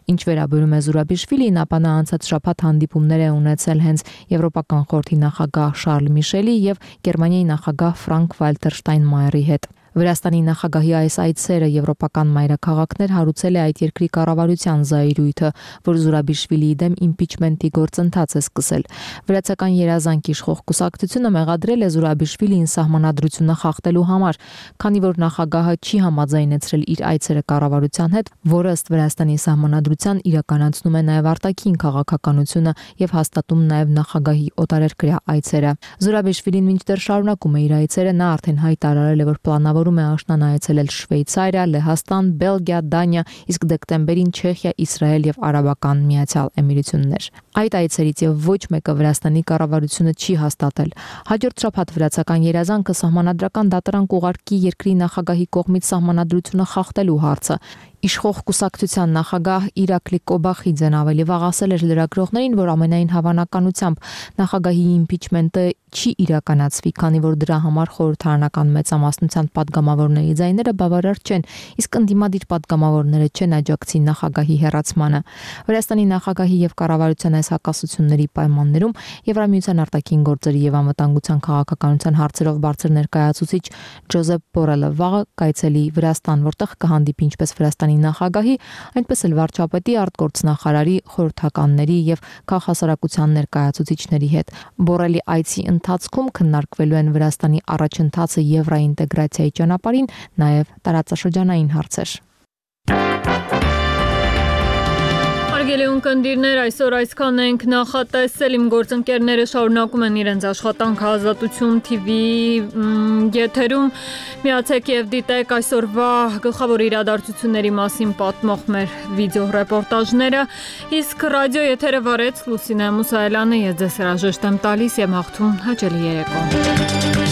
Ինչ վերաբերում է Զուրաբիշվիլին, ապա նա անցած շաբաթ հանդիպումներ է ունեցել հենց Եվրոպական խորհրդի նախագահ Շարլ Միշելի եւ Գերմանիայի նախագահ Ֆրանկ Վալտեր Շտայնմայերի հետ։ Վրաստանի նախագահի այս այցերը եվրոպական մայրաքաղաքներ հարուցել է այդ երկրի կառավարության զայրույթը, որ Զուրաբիշվիլիի դեմ իմպիչմենտի գործընթաց է սկսել։ Վրացական երազանք իշխող կուսակցությունը մեղադրել է Զուրաբիշվիլիին սահմանադրությունը խախտելու համար, քանի որ նախագահը չի համաձայնեցրել իր այցերը կառավարության հետ, որը ըստ Վրաստանի սահմանադրության իրականացնում է նաև արտաքին քաղաքականությունը եւ հաստատում նաև նախագահի օտարերկրյա այցերը։ Զուրաբիշվիլին մինչդեռ շարունակում է իր այցերը, նա արդեն հայտարարել է, որ պլանավոր է աշնան այցելել Շվեյցարիա, Լեհաստան, Բելգիա, Դանիա, իսկ դեկտեմբերին Չեխիա, Իսրայել եւ Արաբական Միացյալ Էմիրություններ։ Այդ այցերից եւ ոչ մեկը Վրաստանի կառավարությունը չի հաստատել։ Հաջորդ շաբաթ վրացական երազանքը սահմանադրական դատարան կուղարկի երկրի նախագահի կողմից սահմանադրությունը խախտելու հարցը։ Իշխող կուսակցության նախագահ Իրակլի Կոբախիձեն ավելի վաղ ասել էր լրագրողներին, որ ամենայն հավանականությամբ նախագահի իմպիչմենտը չի իրականացվի, քանի որ դրա համար խորհրդարանական մեծամասնության падգամավորների ձայները բավարար չեն, իսկ ընդդիմադիր падգամավորները չեն աջակցի նախագահի հեռացմանը։ Վրաստանի նախագահի եւ կառավարության այս հակասությունների պայմաններում Եվրամիության արտաքին գործերի եւ անվտանգության քաղաքականության հարցերով բարձր ներկայացուցիչ Ջոզեփ Բորելը վաղը կայցելի Վրաստան, որտեղ կհանդիպի ինչպես Վրաստանի նախագահի, այնպես էլ վարչապետի, արտգործնախարարի, խորհրդականների եւ քաղաքասարակության ներկայացուցիչների հետ։ Բորելի այցի ընթացքում քննարկվելու են Վրաստանի առաջընթացը եվրոինտեգրացիայի ճանապարհին, նաև տարածաշրջանային հարցեր։ Հարգելի ունկնդիրներ, այսօր այսքան ենք նախատեսել, իմ գործընկերները շարունակում են իրենց աշխատանքը Ազատություն T V եթերում, միացեք եւ դիտեք այսօրվա գլխավոր իրադարձությունների մասին պատմող մեր վիդեո ռեպորտաժները, իսկ ռադիո եթերը վարեց Լուսինե Մուսայելյանը, ես ձեզ հրաժեշտ եմ տալիս եւ հաղթում հաճելի երեկո։